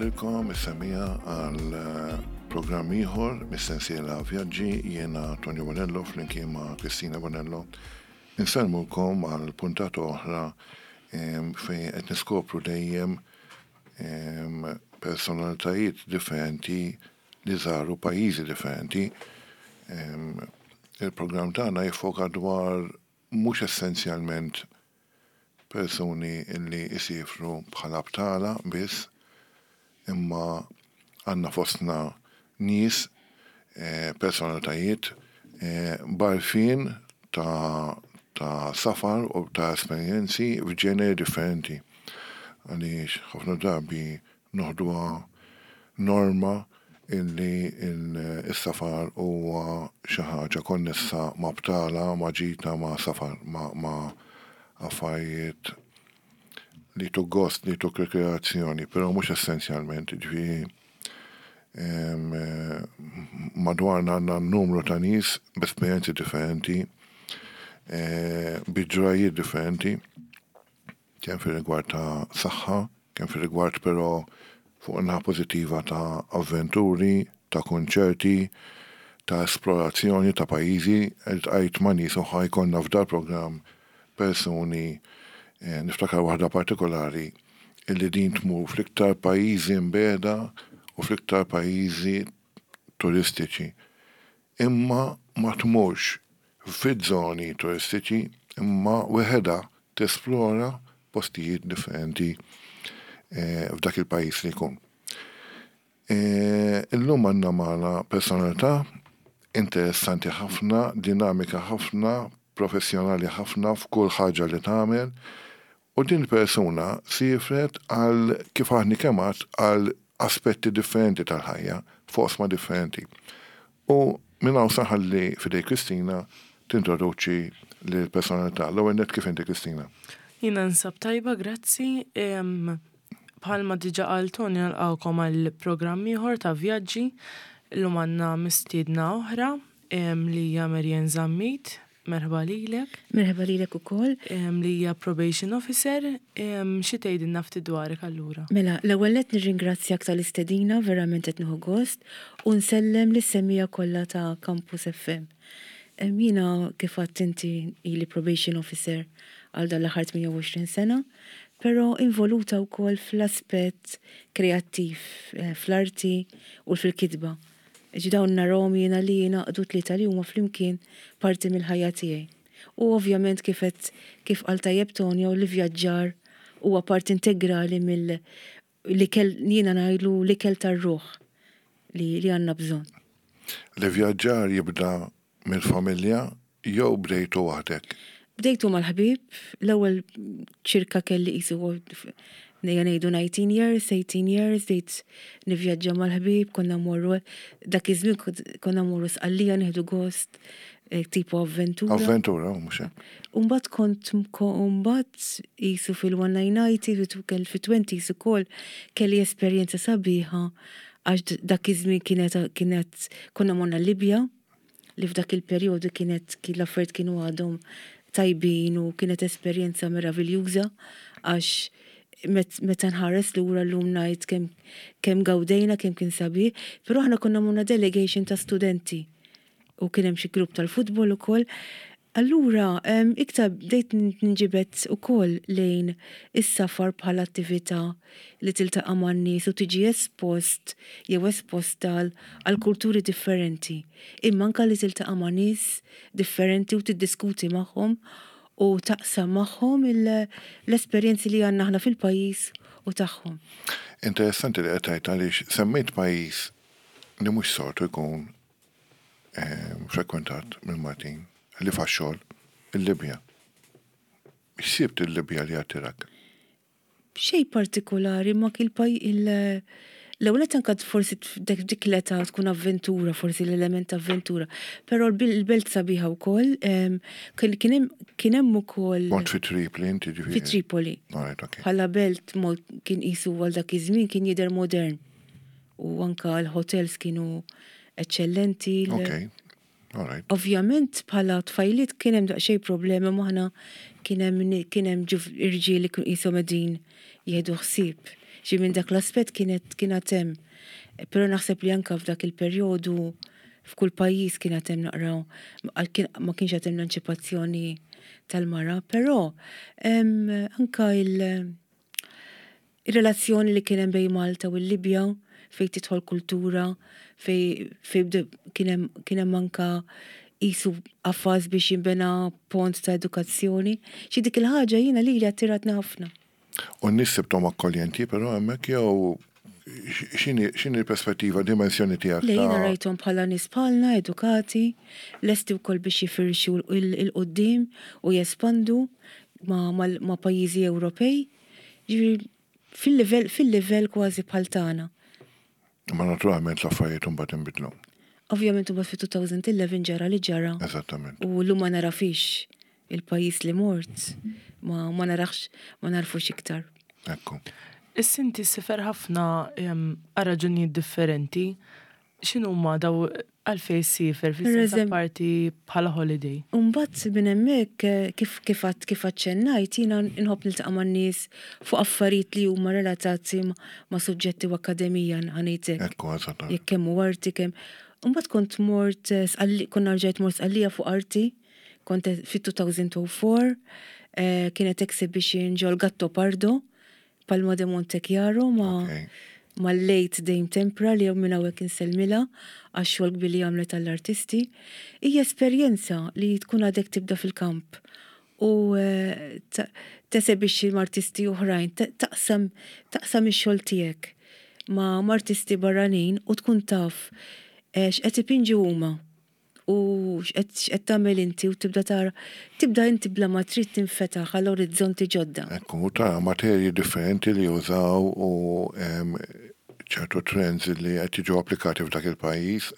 lilkom is-semmiegħa għal programm ieħor mis-sensiela Vjaġġi jiena Tonio Bonello flimkien ma' Kristina Bonello. Insellmulkom għal puntata oħra fejn qed niskopru dejjem personalitajiet differenti li żaru pajjiżi differenti. Il-programm tagħna jiffoka dwar mhux essenzjalment persuni li jsiefru bħala btala biss, imma għandna fostna nies, personalitajiet b'għarfien ta' ta' safar u ta' esperjenzi f'ġeneri differenti. Għaliex ħafna drabi noħduha norma illi s-safar huwa xi ħaġa konnessa ma' btala, ma' ġita, ma' safar, ma' affarijiet li jtuk gost, li jtuk rikreazzjoni, però mhux essenzjalment, jiġifieri madwarna għandna numru ta' nies b'esperjenzi differenti, bi ġrajjiet differenti. kemm fir-rigward ta' saħħa, kemm fir-rigward però fuq in-naħa pożittiva ta' avventuri, ta' kunċerti, ta' esplorazzjoni ta' pajjiżi. Iltqajt ma' nies u ħa jkollna f'dal-programm persuni, niftakar waħda partikolari, illi din tmur fl-iktar pajjiżi mbiegħda u fl-iktar pajjiżi turistiċi. Imma ma tmurx fiż-żoni turistiċi imma weħedha tesplora postijiet differenti f'dak il-pajjiż li jkun. Illum għandna magħna personalità interessanti ħafna, dinamika ħafna, professjonali ħafna f'kull ħaġa li tagħmel u din il-persuna siefret għal kif aħni kemm għadt għal aspetti differenti tal-ħajja, f'oqsma differenti. U minn hawn se nħalli f'idejk Kristina tintroduċi lill-personalità. L-ewwel nett kif inti Kristina? Jiena nsab tajba, grazzi. Bħalma diġà qal Tony nilqgħukom għal programm ieħor ta' vjaġġi. Illum għandna mistiedna oħra li hija Marianne Zammit. Merħba lilek. Merħba lilek ukoll. Li hija probation officer. Xi tgħidilna ftit dwarek allura? Mela, l-ewwel nett nirringrazzjak tal-istedina, verament qed nieħu gost, u nsellem lis-semmiegħa kollha ta' Campus FM. Jiena kif għedt inti ili probation officer għal dan l-aħħar 28 sena, però involuta wkoll fl-aspett kreattiv, fl-arti u fil-kitba. Ġi dawn narahom jiena li jingħaqdu tlieta li huma flimkien parti mill-ħajja tiegħi. U ovvjament kif għedt kif qal tajjeb Tonio l-ivvjaġġar huwa parti integrali mill l-ikel jiena ngħidlu l-ikel tar-ruħ li li għandna bżonn. L-ivvjaġġar jibda Mill-familja jew bdejtu waħdek? Bdejtu mal-ħbieb, l-ewwel ċirka kelli qisu nejja ngħidu 19 years, 18 years, bdejt nivvjaġġa mal-ħbieb, konna mmorru dak iż-żmien konna mmorru Sqallija nieħdu gost, eh, tipo avventura. Avventura, mhux hekk. Umbagħad kont mbagħad qisu fil-1990 fit-20s ukoll kelli esperjenza sabiħa għax dak iż-żmien kienet kienet konna morna Libja li f'dak il-perjodu kienet l-affarijiet kienu għadhom tajbin u kienet esperjenza meraviljuża għax meta nħares lura llum ngħid kemm kemm gawdejna, kemm kien sabiħ, però aħna konna morna delegation ta' studenti u kien hemm xi grupp tal-futbol ukoll. Allura, iktar bdejt ninġibed ukoll lejn is-safar bħala attività li tiltaqa' man-nies u tiġi espost jew esposta għal kulturi differenti, imma anke li tiltaqa' ma' nies differenti u tiddiskuti magħhom u taqsam magħhom l-esperjenzi li għandna aħna fil-pajjiż u tagħhom. Interessanti li qed tgħid għaliex semmejt pajjiż li mhux soltu jkun frekwentat mill-Maltin li għax-xogħol, il-Libja. X'sibt il-Libja li attirak? Xejn partikolari ma il l-ewwel nett anke forsi dik l-età tkun avventura, forsi l-element ta' avventura. Però l-belt sabiħa wkoll, kien hemm ukoll. Kont fi Tripoli inti ġifieri? Fi Tripoli. Bħala belt kien qisu għal dak iż-żmien kien jidher modern. U anka l-hotels kienu eċċellenti. Ok, all right. Ovvjament bħala tfajliet kien hemm daqsxejn problemi m'aħna kien hemm kien hemm irġiel li kienu qishom qegħdin jieħdu ħsieb. Ġi minn dak l-aspett kienet kienet hemm. Però naħseb li anka f'dak il-perjodu f'kull pajjiż kienet hemm naqra ma kienx qed hemm l-anċipazzjoni tal-mara, però anka il- Ir-relazzjoni li kien hemm bejn Malta u l-Libja fejn tidħol kultura, fejn fejn kien hemm kien hemm anka qisu qafas biex jinbena pont ta' edukazzjoni. Xi dik il-ħaġa jiena lili attiratni ħafna. U n-nies sibthom akkoljenti però hemmhekk jew x'inhi x'inhi l-perspettiva, dimensjoni tiegħek Le jiena rajthom bħala nies bħalna, edukati, lesti wkoll biex jifirxu 'l quddiem u jespandu ma' ma' pajjiżi Ewropej. Ġifieri fil-livell fil-livell kważi bħal tagħna. Imma naturalment l-affarijiet imbagħad inbidlu. Ovvjament imbagħad fi-2011 ġara li ġara. Eżattament. U llum ma narafix il-pajjiż li mort ma ma narax ma narfux iktar. Ekku. Issa inti ssifer ħafna għal raġunijiet differenti. X'inhuma daw għalfejn ssiefer fis-sens apparti bħala holiday? U mbagħad minn hemmhekk kif kif għad kif aċċennajt jiena nħobb niltaqa' man-nies fuq affarijiet li huma relatati ma' suġġetti u akkademija ħa ngħid hekk. Ekku, eżattament. Jekk kemm hu arti kemm. U mbagħad kont mort Sqalli konna rġajt mort Sqallija fuq arti, kont fit-2004, kienet exhibition ġol Gattopardo Palma de Montechiaro ma' mal-late Dame Tempra li minn hawnhekk insellmilha għax-xogħol kbir li għamlet għall-artisti. Hija esperjenza li tkun għadek tibda fil-kamp u tesebixxi ma' artisti oħrajn, taqsam taqsam ix-xogħol tiegħek ma' artisti barranin u tkun taf x'qed ipinġu huma. u x'qed x'qed tagħmel inti u tibda tara, tibda inti bla ma trid tinfetaħ għal orizzonti ġodda. Ekku, u tara materji differenti li jużaw u ċertu trends li qed jiġu applikati f'dak il-pajjiż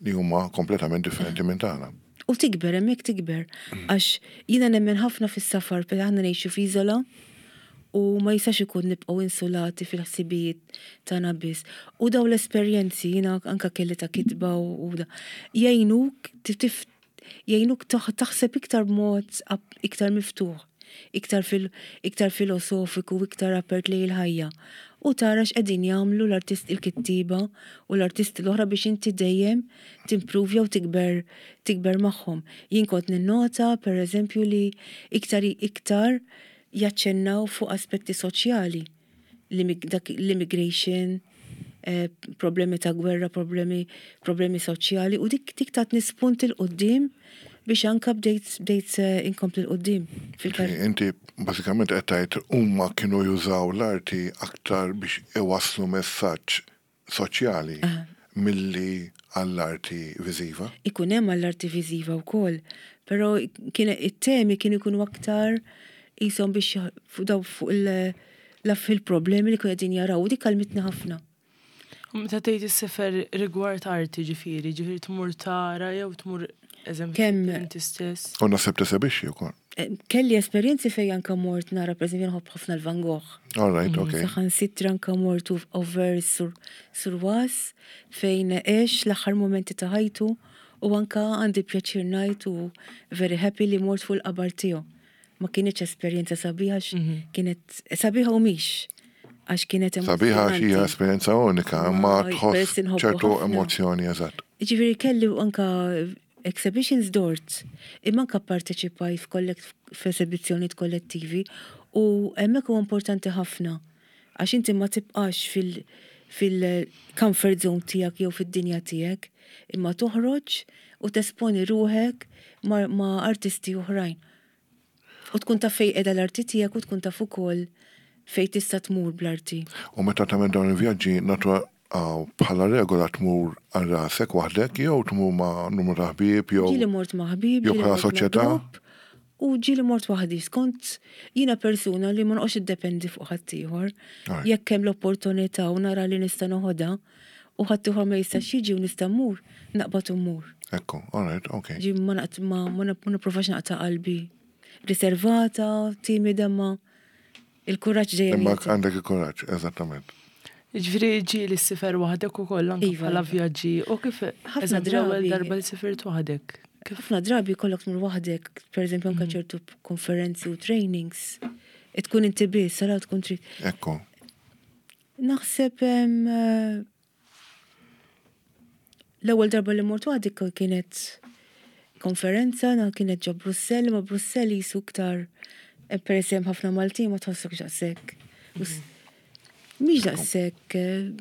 li huma kompletament differenti minn tagħna. U tikber, hemmhekk tikber. Għax jiena nemmen ħafna fis-safar, peress aħna ngħixu f'iżola u ma jistax ikun nibqgħu insulati fil-ħsibijiet tagħna biss. U dawn l-esperjenzi jiena anke kelli ta' kitba u da jgħinuk jgħinuk taħseb iktar b'mod iktar miftuħ, iktar fil iktar filosofiku, iktar apert lejn il-ħajja. U tara x'qegħdin jagħmlu l-artist il-kittieba u l-artisti l-oħra biex inti dejjem timpruvja u tikber tikber magħhom. Jien kont ninnota pereżempju li iktar iktar jaċċennaw fuq aspetti soċjali, dak l-immigration, problemi ta' gwerra, problemi problemi soċjali u dik dik tatni spunt 'il quddiem biex anka bdejt bdejt inkompli 'l quddiem fil-karriera. Inti bażikament qed tgħid huma kienu jużaw l-arti aktar biex iwasslu messaġġ soċjali milli għall-arti viżiva. Ikun hemm għall-arti viżiva wkoll, però kien it-temi kienu jkunu aktar qishom biex fuq daw fuq il-problemi li kienu qegħdin jaraw u dik għallmitni ħafna. U meta tgħid issefer rigward arti ġifieri, ġifieri tmur tara jew tmur eżempju inti stess? U naħseb tesebixxi wkoll. Kelli esperjenzi fejn anka mort nara pereżempju nħobb ħafna l-Van Gogh. All right, okay. Saħansitra anka mort over sur Was fejn għex l-aħħar momenti ta' ħajtu u anka għandi pjaċir ngħid u very happy li mort fuq il-qabar tiegħu. Ma kinitx esperjenza sabiħa għax kienet sabiħa u mhix għax kienet Sabiħa għax hija esperjenza unika, imma tħoss ċertu emozzjoni eżatt. Ġifieri kelli anka exhibitions dort, imma anka pparteċipajt f'esebizzjonijiet kollettivi u hemmhekk huwa importanti ħafna għax inti ma tibqax fil- fil-comfort zone tiegħek jew fid-dinja tiegħek, imma toħroġ u tesponi ruħek ma' artisti oħrajn. U tkun taf fejn qiegħda l-arti tiegħek u tkun taf ukoll fejn tista' tmur bl-arti. U meta tagħmel dawn il-vjaġġi, bħala regola tmur għal rasek waħdek jew tmur ma' numru ta' ħbieb jew. Ġieli mort ma' ħbieb, jew bħala soċjetà. U ġieli mort waħdi, skont jiena persuna li ma noqgħodx iddependi fuq ħaddieħor. Jekk hemm l-opportunità u nara li nista' noħodha u ħaddieħor ma jistax jiġi u nista' mmur, naqbad u mmur. Ekku, all right, ok. Ġi ma nipprovax naqta' qalbi. Riservata, timida ma Il-kuraġġ dejjem. Imma għandek il-kuraġġ, eżattament. Ġifieri ġieli ssifer waħdek ukoll anke iva, bħala iva. vjaġġi u kif ħafna drabi darba li sifirt waħdek. Ħafna drabi kollok tmur waħdek, pereżempju anke mhm. ċertu konferenzi u trainings, tkun inti biss, sara tkun trid. Ekku. Naħseb l-ewwel darba li mort waħdi kienet konferenza, kienet ġo Brussell, ma Brussell jisu iktar eh, peress hemm ħafna Maltin ma tħossokx daqshekk. Mhix daqshekk, eh,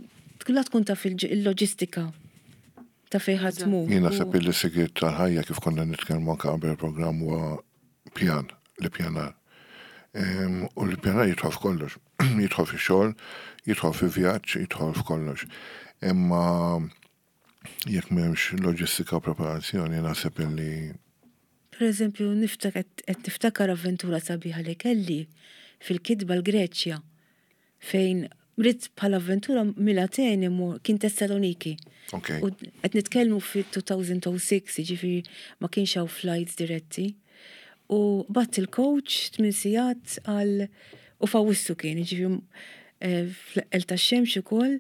la tkun taf il-loġistika ta' fejn ħadd tmur. Jien naħseb li s-sigriet tal-ħajja kif konna nitkellmu anke qabel il-programm huwa pjan, l-ippjanar. U l-ippjanar jidħol f'kollox. Jidħol fix-xogħol, jidħol fi vjaġġ, jidħol f'kollox. Imma jekk m'hemmx loġistika u preparazzjoni naħseb illi Per eżempju, qed niftakar avventura sabiħa li kelli fil-kitba l-Greċja fejn ridt bħala avventura minn Ateni mur kien Tessaloniki. Okay. U qed nitkellmu fit-2006, jiġifieri ma kienx hawn flights diretti. U batt il-coach tmien sigħat għal u f'Awwissu kien, jiġifieri eh, fl-eqqel tax-xemx ukoll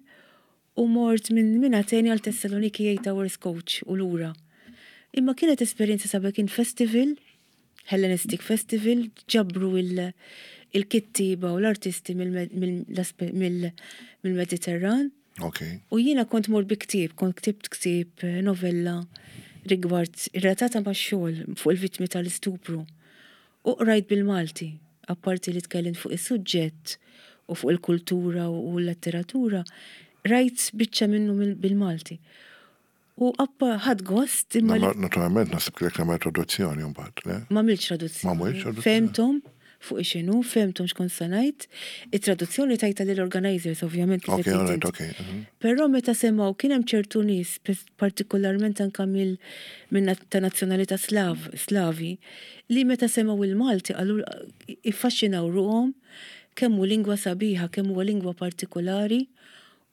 u mort minn minn Ateni għal Tessaloniki 8 hours coach u lura. Imma kienet esperjenza sabiħa kien festival Hellenistic Festival ġabru il-kittieba u l-artisti mill-Mediterran. Okay. U jiena kont mort bi ktieb, kont ktibt ktieb eh, novella rigward relatata ma' xogħol fuq il-vittmi tal-istupru. U qrajt bil-Malti, apparti li tkellimt fuq is-suġġett u fuq il-kultura u l-letteratura, rajt biċċa minnu bil-Malti. U appa ħadt gost imma. Naturalment naħseb kellek tagħmel traduzzjoni mbagħad, le? Ma għamiltx traduzzjoni. Ma għamiltx traduzzjoni. Fehmthom fuq x'inhu, fehmthom x'kont se ngħid. It-traduzzjoni tajtha lill-organizers ovvjament kif qed tgħid. Ok, mhm. Però meta semgħu kien hemm ċertu nies, partikolarment anke mill minn ta' nazzjonalità Slav, Slavi, li meta semgħu il-Malti qalu iffaxxinaw ruħhom kemm hu lingwa sabiħa, kemm huwa lingwa partikolari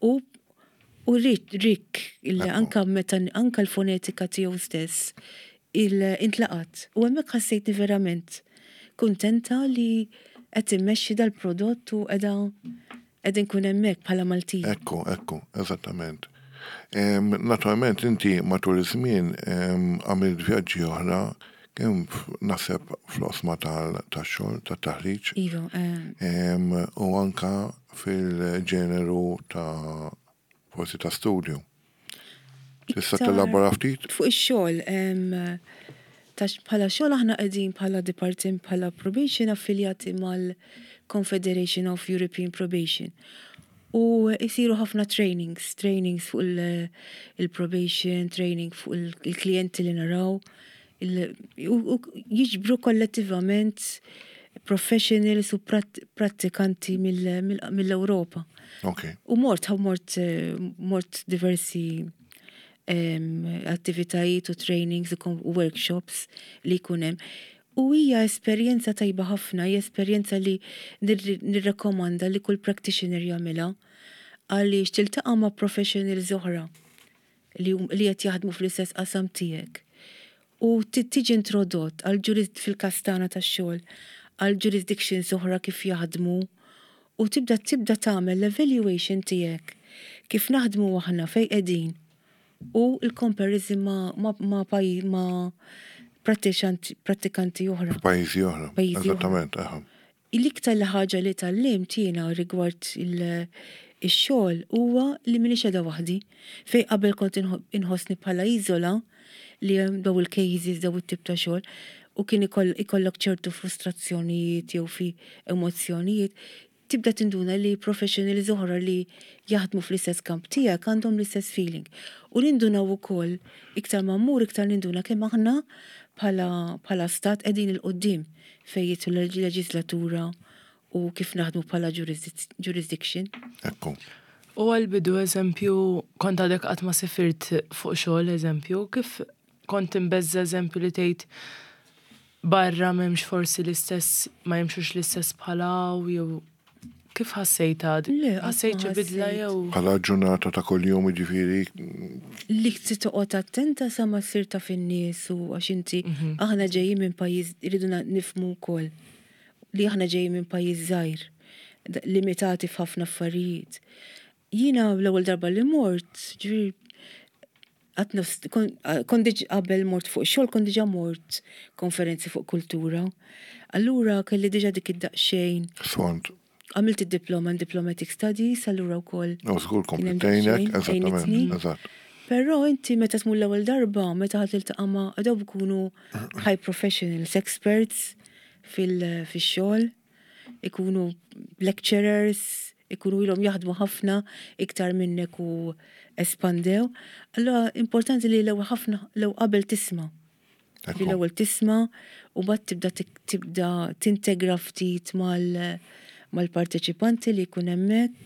u U rikk illi anka meta anka l-fonetika tiegħu stess intlaqat. U hemmhekk ħassejtni verament kuntenta li qed immexxi dal-prodott u qiegħda qed inkun hemmhekk bħala Maltija. Ekku, ekku, eżattament. Naturalment inti matul iż-żmien għamilt vjaġġi oħra kemm naħseb fl-oqsma tax-xogħol, tat-taħriġ. Iva. U anka fil-ġeneru ta' forsi ta' studju. Tista' tellabora ftit? Fuq ix-xogħol, bħala xogħol aħna qegħdin bħala department bħala probation affiljati mal-Confederation of European Probation. U jsiru ħafna trainings, trainings fuq il-probation, training fuq il-klijenti li naraw, u jiġbru kollettivament professionals u prattikanti mill-Ewropa. Okay. U mort, mort, mort diversi attivitajiet u trainings u workshops li jkun hemm. U hija esperjenza tajba ħafna, hija esperjenza li nirrekomanda li kull practitioner jagħmilha għaliex tiltaqa' ma' professionals oħra li li qed jaħdmu fl-istess qasam tiegħek u tiġi introdott għal fil-każ tagħna tax-xogħol għal jurisdictions oħra kif jaħdmu u tibda tibda tagħmel l-evaluation tiegħek kif naħdmu aħna fejn qegħdin u l-comparison ma' ma' ma' ma' prattikanti oħra. F'pajjiżi oħra. Pajjiżi oħra. Eżattament, aha. L-iktar li ħaġa li tgħallimt jiena rigward ix-xogħol huwa li m'iniex qiegħda waħdi. Fejn qabel kont inħossni bħala iżola li hemm daw il-cases, daw it-tip ta' xogħol u kien ikollok ċertu frustrazzjonijiet jew fi emozzjonijiet, tibda tinduna li professionals oħra li jaħdmu fl-istess kamp tiegħek għandhom l-istess feeling. U nindunaw ukoll iktar ma mmur iktar ninduna kemm aħna bħala bħala stat qegħdin 'il quddiem fejn jidħol leġislatura u kif naħdmu bħala jurisdiction. Ekku. U għall-bidu eżempju, kont għadek qatt ma sifirt fuq xogħol eżempju, kif kont imbeżża' eżempju li tgħid barra m'hemmx forsi l-istess ma jimxux l-istess bħal hawn jew kif ħassejtha? Le, qatt ma Ħassejt xi bidla ħassejt. jew? Bħala ġurnata ta' kuljum jiġifieri. Li trid toqgħod attenta sa ma ssir taf in-nies u għax inti aħna ġejjin minn pajjiż irridu nifhmu wkoll li aħna ġejjin minn pajjiż żgħir, limitati f'ħafna affarijiet. Jiena l-ewwel darba li mort, ġifieri Qatt nofs, kont diġ qabel mort fuq xogħol kont diġà mort konferenzi fuq kultura. Allura kelli diġà dik id-daqsxejn. Sfond. Għamilt id-diploma in Diplomatic Studies, allura wkoll. U żgur kompli tgħinek, eżattament, eżatt. Però inti meta tmur l-ewwel darba, meta ħadd tiltaqa' ma' daw ikunu high professionals, experts fil-xogħol, ikunu lecturers, ikunu ilhom jaħdmu ħafna iktar minnek u espandew. Allura importanti li l-ewwel ħafna l-ewwel qabel tisma'. Li l-ewwel tisma' u mbagħad tibda tibda tintegra ftit mal-parteċipanti li jkun hemmhekk,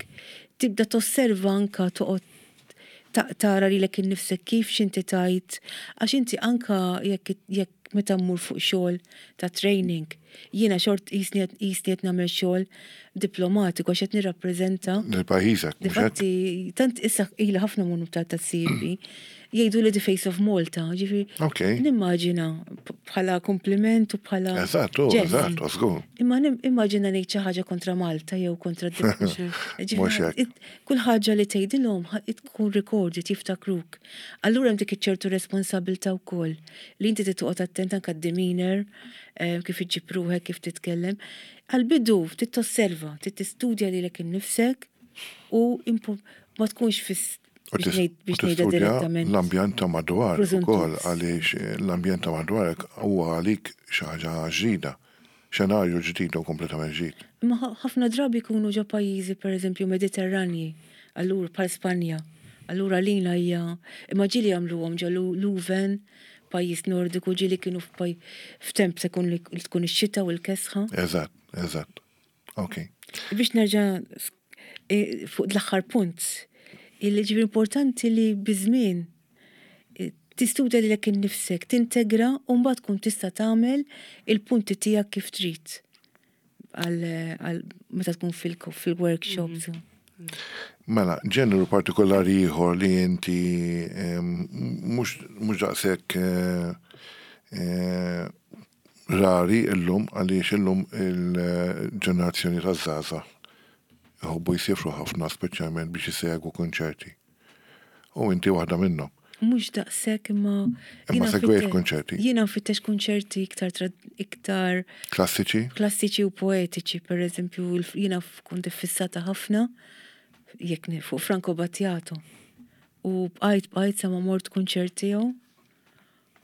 tibda tosserva anka toqgħod tara lilek innifsek kif x'inti tgħid, għax inti anka jekk jekk meta mmur fuq xogħol ta' training, jiena xort qisni qed nagħmel xogħol diplomatiku għax qed nirrappreżenta. Lil pajjiżek. Difatti, tant issa ilha ħafna mmur ta' CEP. Jgħidu li the face of Malta, ġifieri. Ok. Nimmaġina bħala kompliment u bħala. Eżatt, eżatt, żgur. Imma nimmaġina ngħid xi ħaġa kontra Malta jew kontra Kull ħaġa li tgħidilhom tkun recorded jiftakruk. Allura hemm dik iċ-ċertu responsabilità wkoll li inti trid toqgħod attent anke d-demeanor, eh, kif iġġib ruħek, kif titkellem. Għal-bidu trid tosserva, trid tistudja lilek innifsek u ma tkunx fis biex ngħidha direttament. L-ambjent ta' madwar ukoll għaliex eh, l-ambjent ta' madwarek huwa għalik xi ħaġa ġdida, xenarju ġdid u kompletament ġdid. Imma ħafna drabi jkunu ġo pajjiżi pereżempju Mediterranji, allura bħal Spanja. Allura lina hija imma ġieli jagħmluhom ġo Leuven, pajjiż Nordiku ġieli kienu f'temp se tkun ix-xita u l-kesħa. Eżatt, eżatt. Ok. Biex nerġa' e, fuq l-aħħar punt, illi ġifieri importanti li biż-żmien e, tistudja lilek innifsek, tintegra u mbagħad tkun tista' tagħmel il-punti tiegħek kif trid għal meta tkun fil-workshops. Mhm. Mela, ġeneru partikolari ieħor li inti mhux daqshekk eh, eh, Rari illum għaliex illum il-ġenerazzjoni taż-żgħażagħ iħobbu jsiefru ħafna speċjalment biex isegwu kunċerti. U inti waħda minnhom. Mhux daqshekk imma. Imma segwejt kunċerti. Jiena nfittex kunċerti iktar iktar. Klassiċi? Klassiċi u poetiċi, per eżempju, jiena kont iffissata ħafna jekk fuq Franco Battiato. U bqajt bqajt sa ma mort kunċert tiegħu.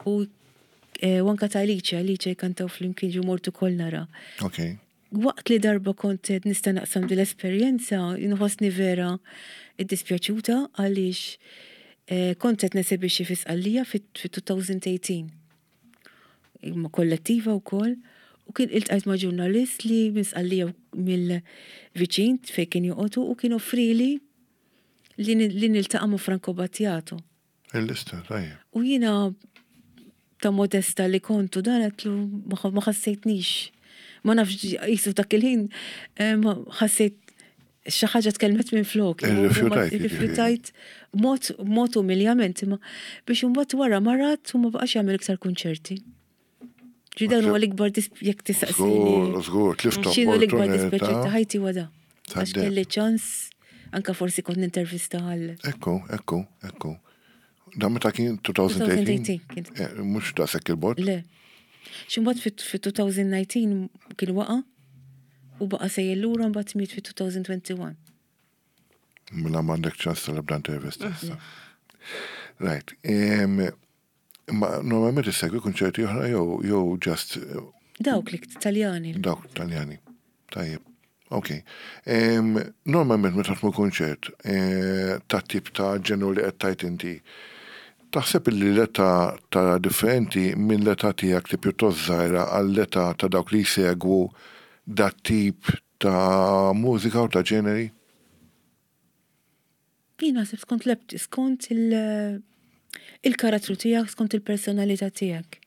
U eh, u anka ta' Alice, Alice jkantaw flimkien ġu mort ukoll nara. Ok. Waqt li darba kont qed nista' naqsam din l-esperjenza, nħossni vera iddispjaċuta għaliex eh, kont qed nesebixxi fi Sqallija fit-2018. Ma' kollettiva wkoll u kien iltqajt ma' ġurnalist li minn Sqallija mill-viċin fejn kien joqogħdu u kien offrili li niltaqa' ma' Franco Battiato. Il-lista, tajjeb. U jiena ta' modesta li kontu dan għetlu ma ħassejtnix. Ma nafx jisu dak il-ħin eh, ħassejt xi ħaġa tkellmet minn flok. Irrifjutajt. Irrifjutajt mod mod umiljament imma biex imbagħad wara marat u ma baqax jagħmel iktar kunċerti. Ġi dan huwa l-ikbar jekk tistaqsini. Żgur, żgur, tlift X'inhu l-ikbar dispjaċir ta' ħajti huwa da. Għax kelli ċans anka forsi kont nintervista għal. Ekku, ekku, ekku. Dan meta kien 2018? 2018 eh, Mhux daqshekk il-bot. Le. Xi mbagħad fit-2019 kien waqa' u baqa' sejjer lura mbagħad miet fit-2021. Mela m'għandek ċans tal-ebda intervista issa. Right. Imma normalment issegwi kunċerti oħra jew jew just eh, Dawk li Taljani. Dawk Taljani. Tajjeb. Ok. Normalment meta tmur kunċert eh, ta' tip ta' ġenu li qed tajt inti, taħseb li l-età ta' differenti minn l-età tiegħek li pjuttost żgħira għall-età ta' dawk li jsegwu dat tip ta' mużika u ta' ġeneri? Jien naħseb skont l skont il-karattru tiegħek, skont il-personalità tiegħek.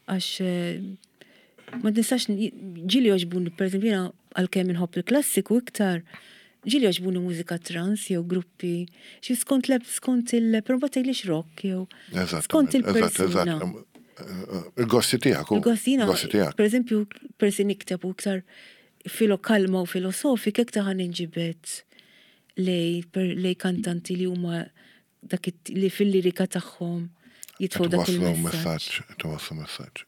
Għax eh, ma nistax ġili joġbuni, per eżempju, jiena għalkemm inħobb il-klassiku iktar, ġili joġbuni mużika trans jew gruppi, xi skont l skont il però ma tgħidlix rock jew skont il-persuna. Il-gosti tiegħek. Il-gosti tiegħek. Per eżempju, persi nikteb u iktar filo kalma u filosofik iktar ħan inġibet lej lej kantanti li huma dak li fil-lirika tagħhom jitfgħu dak il-messaġġ. Twasslu messaġġ.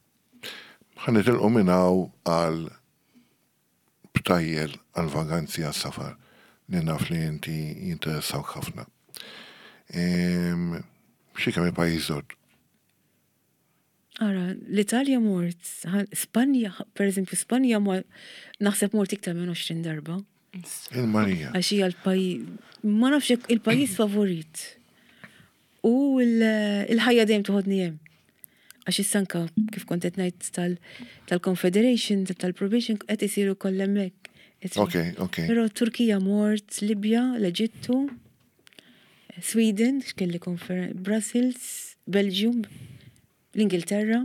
Ħa nitilqu minn hawn għal btajjel għal-vaganzi għas-safar li naf li inti jinteressawk ħafna. Xi kemm il-pajjiż żort? Ara, l-Italja mort, Spanja, per eżempju, Spanja naħseb mort iktar minn 20 darba. Il-Marija. Għax hija l-pajjiż, ma nafx jekk il-pajjiż favorit. U l-ħajja dejjem toħodni hemm. Għax issa anka kif kont qed ngħid tal-Confederation, tal-Probation qed isiru kollha hemmhekk. Ok, ok. Però Turkija mort, Libja, l-Eġittu, Sweden, x'kelli konferen, Brussels, Belgium, l-Ingilterra.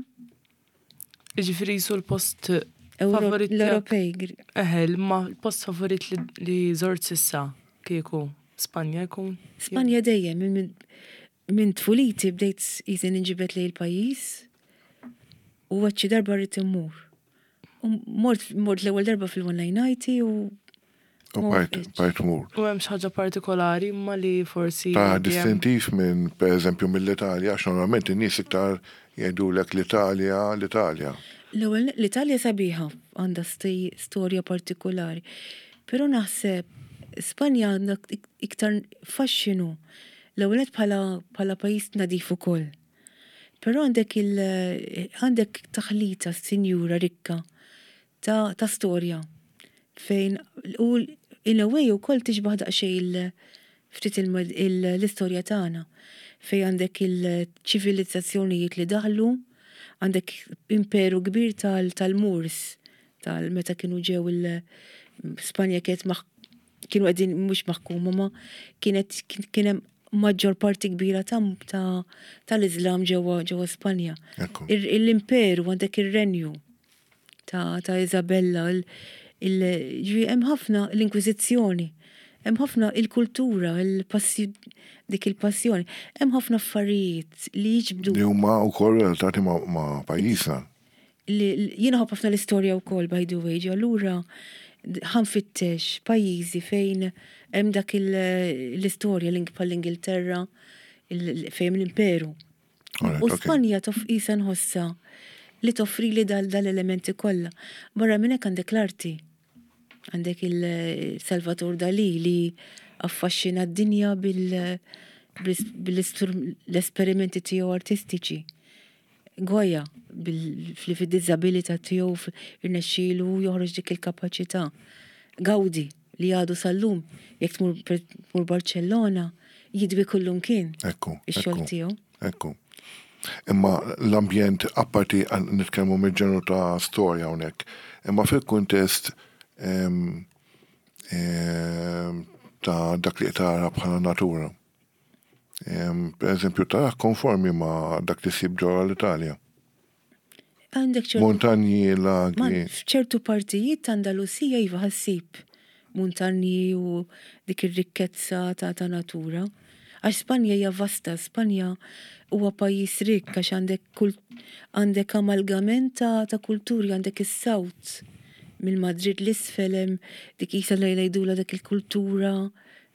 Jiġifieri jisu l-post favorit. L-Ewropej. Eħe, ma l-post favorit li żort sissa kieku Spanja jkun? Spanja dejjem, minn tfuliti bdejt jizin inġibet lejn il-pajjiż u għad xi darba rrid immur. U mort mort l-ewwel darba fil-1990 u U bajt mur. U hemm xi ħaġa partikolari imma li forsi. Ta' distintiv minn, per eżempju, mill-Italja, għax normalment in-nies iktar jgħidulek l-Italja, l-Italja. L-ewwel l-Italja sabiħa għandha storja partikolari. Però naħseb Spanja għandha iktar faxxinu. L-ewwel nett bħala bħala pajjiż nadif ukoll. Però għandek il għandek taħlita sinjura rikka ta' ta' storja fejn u in a way ukoll tixbah daqsxejn il ftit l-istorja tagħna fejn għandek il-ċivilizzazzjonijiet li daħlu, għandek imperu kbir tal-Moors tal meta kienu ġew il Spanja kienet kienu qegħdin mhux maħkuma ma kienet kien hemm maġġor parti kbira tal-Iżlam ġewwa ġewwa Spanja. L-imperu għandek ir-renju ta' ta' Isabella, ġifieri hemm ħafna l-Inkwiżizzjoni, hemm ħafna il-kultura, dik il-passjoni, hemm ħafna affarijiet li jiġbdu. Li huma wkoll relatati ma' pajjiżna. Jiena nħobb ħafna l-istorja wkoll by the way, allura ħa nfittex pajjiżi fejn hemm dak l-istorja bħall-Ingilterra, fejn hemm l-imperu. U Spanja qisha nħossha li toffrili dal-elementi kollha. Barra minn hekk għandek l-arti. Għandek il-Salvator Dali li affaxxina d-dinja bil-esperimenti tiegħu artistiċi. Goya li fid-diżabilità tiegħu irnexxielu joħroġ dik il-kapaċità. Gaudi li għadu sal-lum jekk tmur Barcellona jidwi kullumkien ix-xogħol tiegħu. Ekku. Imma l-ambjent apparti nitkellmu mill-ġenru ta' storja hawnhekk, imma fil-kuntest ta' dak li tara bħala natura. Per eżempju, tara konformi ma' dak li ssib ġewwa l-Italja. Għandek ċertu. Montanji, lagi. F'ċertu partijiet ta' Andalusija iva ħassib muntanji u dik ir-rikkezza ta' ta' natura. Għax Spanja hija vasta, Spanja huwa pajjiż rikk għax għandek għandek amalgament ta' ta' kulturi, għandek is-South mill-Madrid l-isfel hemm dik qisha ngħidulha dik il-kultura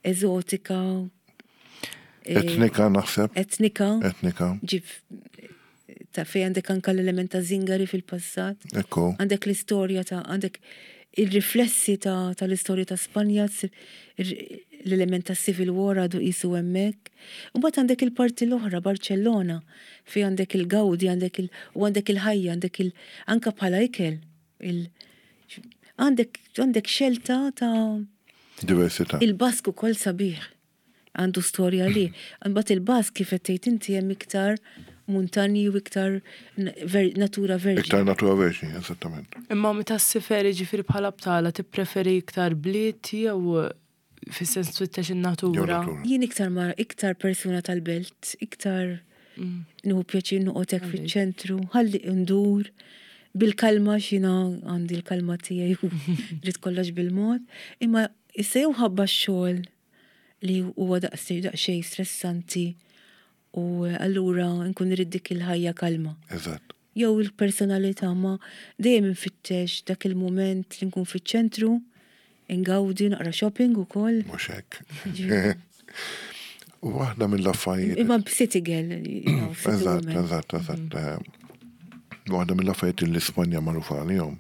eżotika. Etnika naħseb. Etnika. Etnika. Ġib ta' fej għandek anka l-element ta' zingari fil-passat. Ekku. Għandek l-istorja ta' għandek il-riflessi ta' tal-istorja ta' Spanja, l-element ta' Civil War għadu qisu hemmhekk. Imbagħad għandek il-parti l-oħra, Barcellona, fej għandek il-Gaudi, għandek il u għandek il-ħajja, għandek il anka bħala ikel. Il għandek għandek xelta ta' Diversità. Il-Bask ukoll sabiħ. Għandu storja li. Imbagħad il-Bask kif qed tgħid inti hemm iktar muntanji u iktar natura verġni. Iktar natura verġni, eżattament. Imma meta ssifer jiġifieri bħala btala tippreferi iktar bliet jew fis-sens tfittex in-natura? Jien iktar ma iktar persuna tal-belt, iktar nieħu pjaċir noqgħod hekk fiċ-ċentru, ħalli ndur bil-kalma x'jiena għandi l-kalma tiegħi u rrid kollox bil-mod. Imma issa jew ħabba x-xogħol li huwa daqsxejn stressanti u allura nkun irrid dik il-ħajja kalma. Eżatt. Jew il-personalità ma dejjem infittex dak il-mument li nkun fiċ-ċentru, ingawdi, naqra shopping ukoll. Mhux hekk. Waħda mill-affarijiet. Imma city girl. Eżatt, eżatt, eżatt. Mm. Waħda mill-affarijiet li Spanja magħrufa għalihom.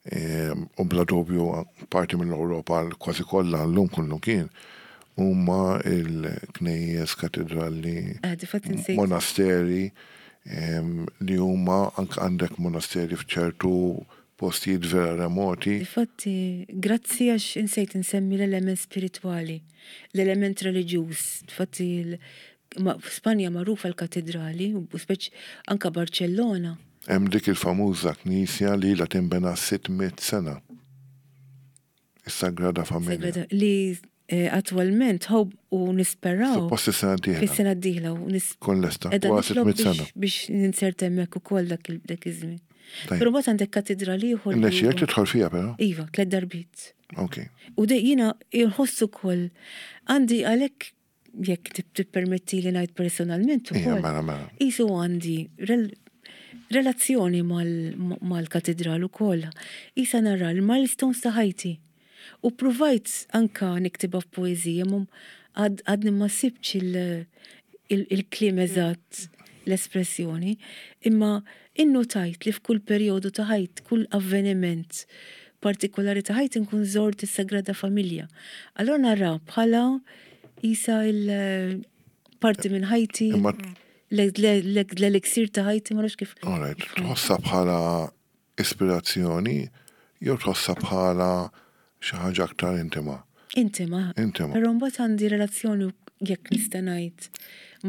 U bla dubju parti mill-Ewropa kważi kollha llum kullu kien huma l-knejjes, katedrali, monasteri li huma anke għandek monasteri f'ċertu postijiet vera remoti. Difatti, grazzi għax insejt insemmi l-element spiritwali, l-element reliġjuż. Difatti, Spanja magħrufa l-katedrali, u speċ anka Barċellona. Hemm dik il-famuża knisja li ilha tinbena 600 sena. Is-Sagrada Familja. Sagrada li eh, attwalment ħob u nisperaw. Suppost is-sena d-dieħla. Fis-sena d-dieħla u nis. Kun lesta. Wara 600 sena. Biex ninserta hemmhekk ukoll dak iż-żmien. Però mbagħad għandek katedrali ieħor. Nexxielek tidħol fiha però? Iva, tliet darbiet. Ok. U dej jiena nħoss ukoll għandi għalhekk jekk tippermetti li ngħid personalment ukoll. Mela, mela. Isu għandi relazzjoni mal-katedral ukoll. Isa nara l-milestones ta' ħajti. U provajt anka niktibha f'poeżija, ma għadni ma sibtx il-kliem eżatt l-espressjoni, imma innotajt li f'kull perjodu ta' ħajt, kull avveniment partikolari ta' ħajti nkun żort is-Sagrada Familja. Allora nara bħala isa il-parti minn ħajti, l-eliksir ta' ħajti, ma nafx kif. Alright, tħossha bħala ispirazzjoni jew tħossha bħala xi ħaġa aktar intima? Intima. Intima. Però mbagħad għandi relazzjoni jekk nista' ngħid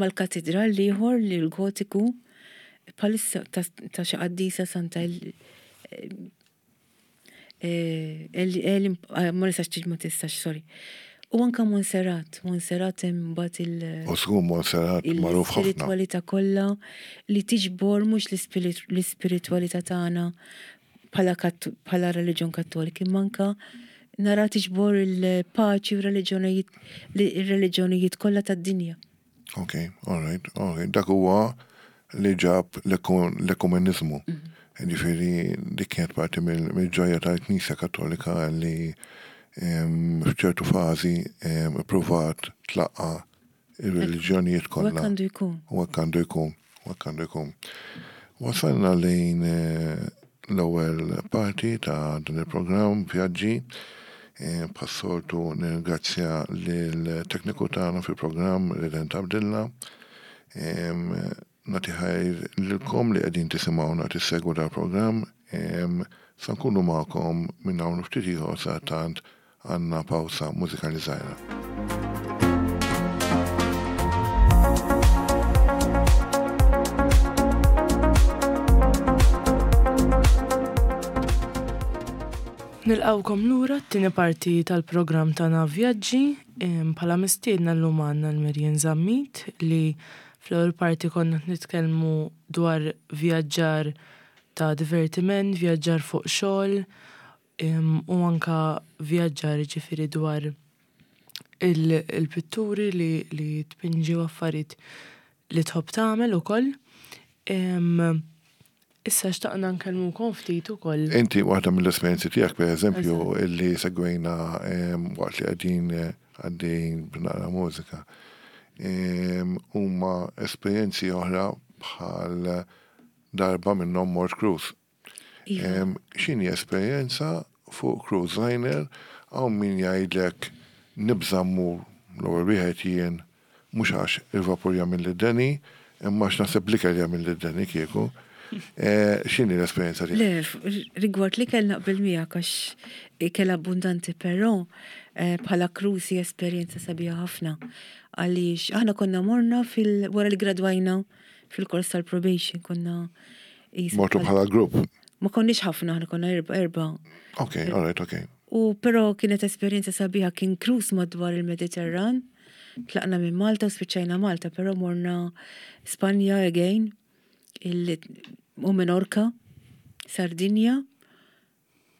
mal-katidral l-ieħor li l-Gotiku bħalissa ta' xi qaddisa Santa ma nistax tiġ ma tistax, sorry. U anka Monserrat, Monserrat hemm mbagħad il- U żgur Monserrat magħruf ħafna. L-ispiritwalità kollha li tiġbor mhux l-ispiritwalità tagħna bħala bħala reliġjon Kattolika, imma anka nara tiġbor il-paċi u reliġjonijiet ir-reliġjonijiet kollha tad-dinja. Ok, all right, all right. Dak huwa li ġab l-ekumeniżmu. Mhm. Ġifieri dik kienet parti mill-ġojja tal-Knisja Kattolika li f'ċertu fażi ippruvat tlaqqa' ir-reliġjonijiet kollha. U hekk għandu jkun. U hekk għandu jkun. U hekk għandu jkun. Wasalna lejn eh, l-ewwel parti ta' dan il-programm Vjaġġi. Eh, bħas-soltu nirringrazzja lill-tekniku tagħna fil-programm Redent Abdilla. Nagħti ħajr lilkom li qegħdin tisimgħuna tissegwu dal-programm. Sa nkunu magħkom minn hawn ftit ieħor sa tant Għandna pawsa mużikali żgħira. Nilqgħukom lura t-tieni parti tal-programm tagħna Vjaġġi. Bħala mistiedna llum għandna l-Marian Zammit li fl-ewwel parti konna qed nitkellmu dwar vjaġġar ta' divertiment, vjaġġar fuq xogħol, U anka vjaġġar jiġifieri dwar il-pitturi li tpinġi u affarijiet li tħobb tagħmel ukoll. Issa xtaqna nkellmukom ftit ukoll. Inti waħda mill-esperjenzi tiegħek pereżempju illi segwejna waqt li qegħdin għaddejjin b'naqra mużika huma esperjenzi oħra bħal darba minnhom mort cruise. Iva. X'inhi esperjenza fuq cruise liner hawn min jgħidlek nibża' mmur l-ewwel wieħed jien mhux għax il-vapur jagħmilli d-deni imma għax naħseb l-ikel jagħmilli d-deni kieku. Eh, x'inhi l-esperjenza tiegħek? Le, rigward l-ikel naqbel miegħek għax ikel abbundanti però eh, bħala cruise hi esperjenza sabiħa ħafna għaliex aħna konna morna fil wara li gradwajna fil-kors tal-probation konna Mortu bħala grupp? Ma konniex ħafna, aħna konna erba. erba. Ok, all right, ok. U però kienet esperjenza sabiħa kien cruise madwar il-Mediterran. Tlaqna minn Malta u spiċċajna Malta, però morna Spanja again, il u Menorca, Sardinja,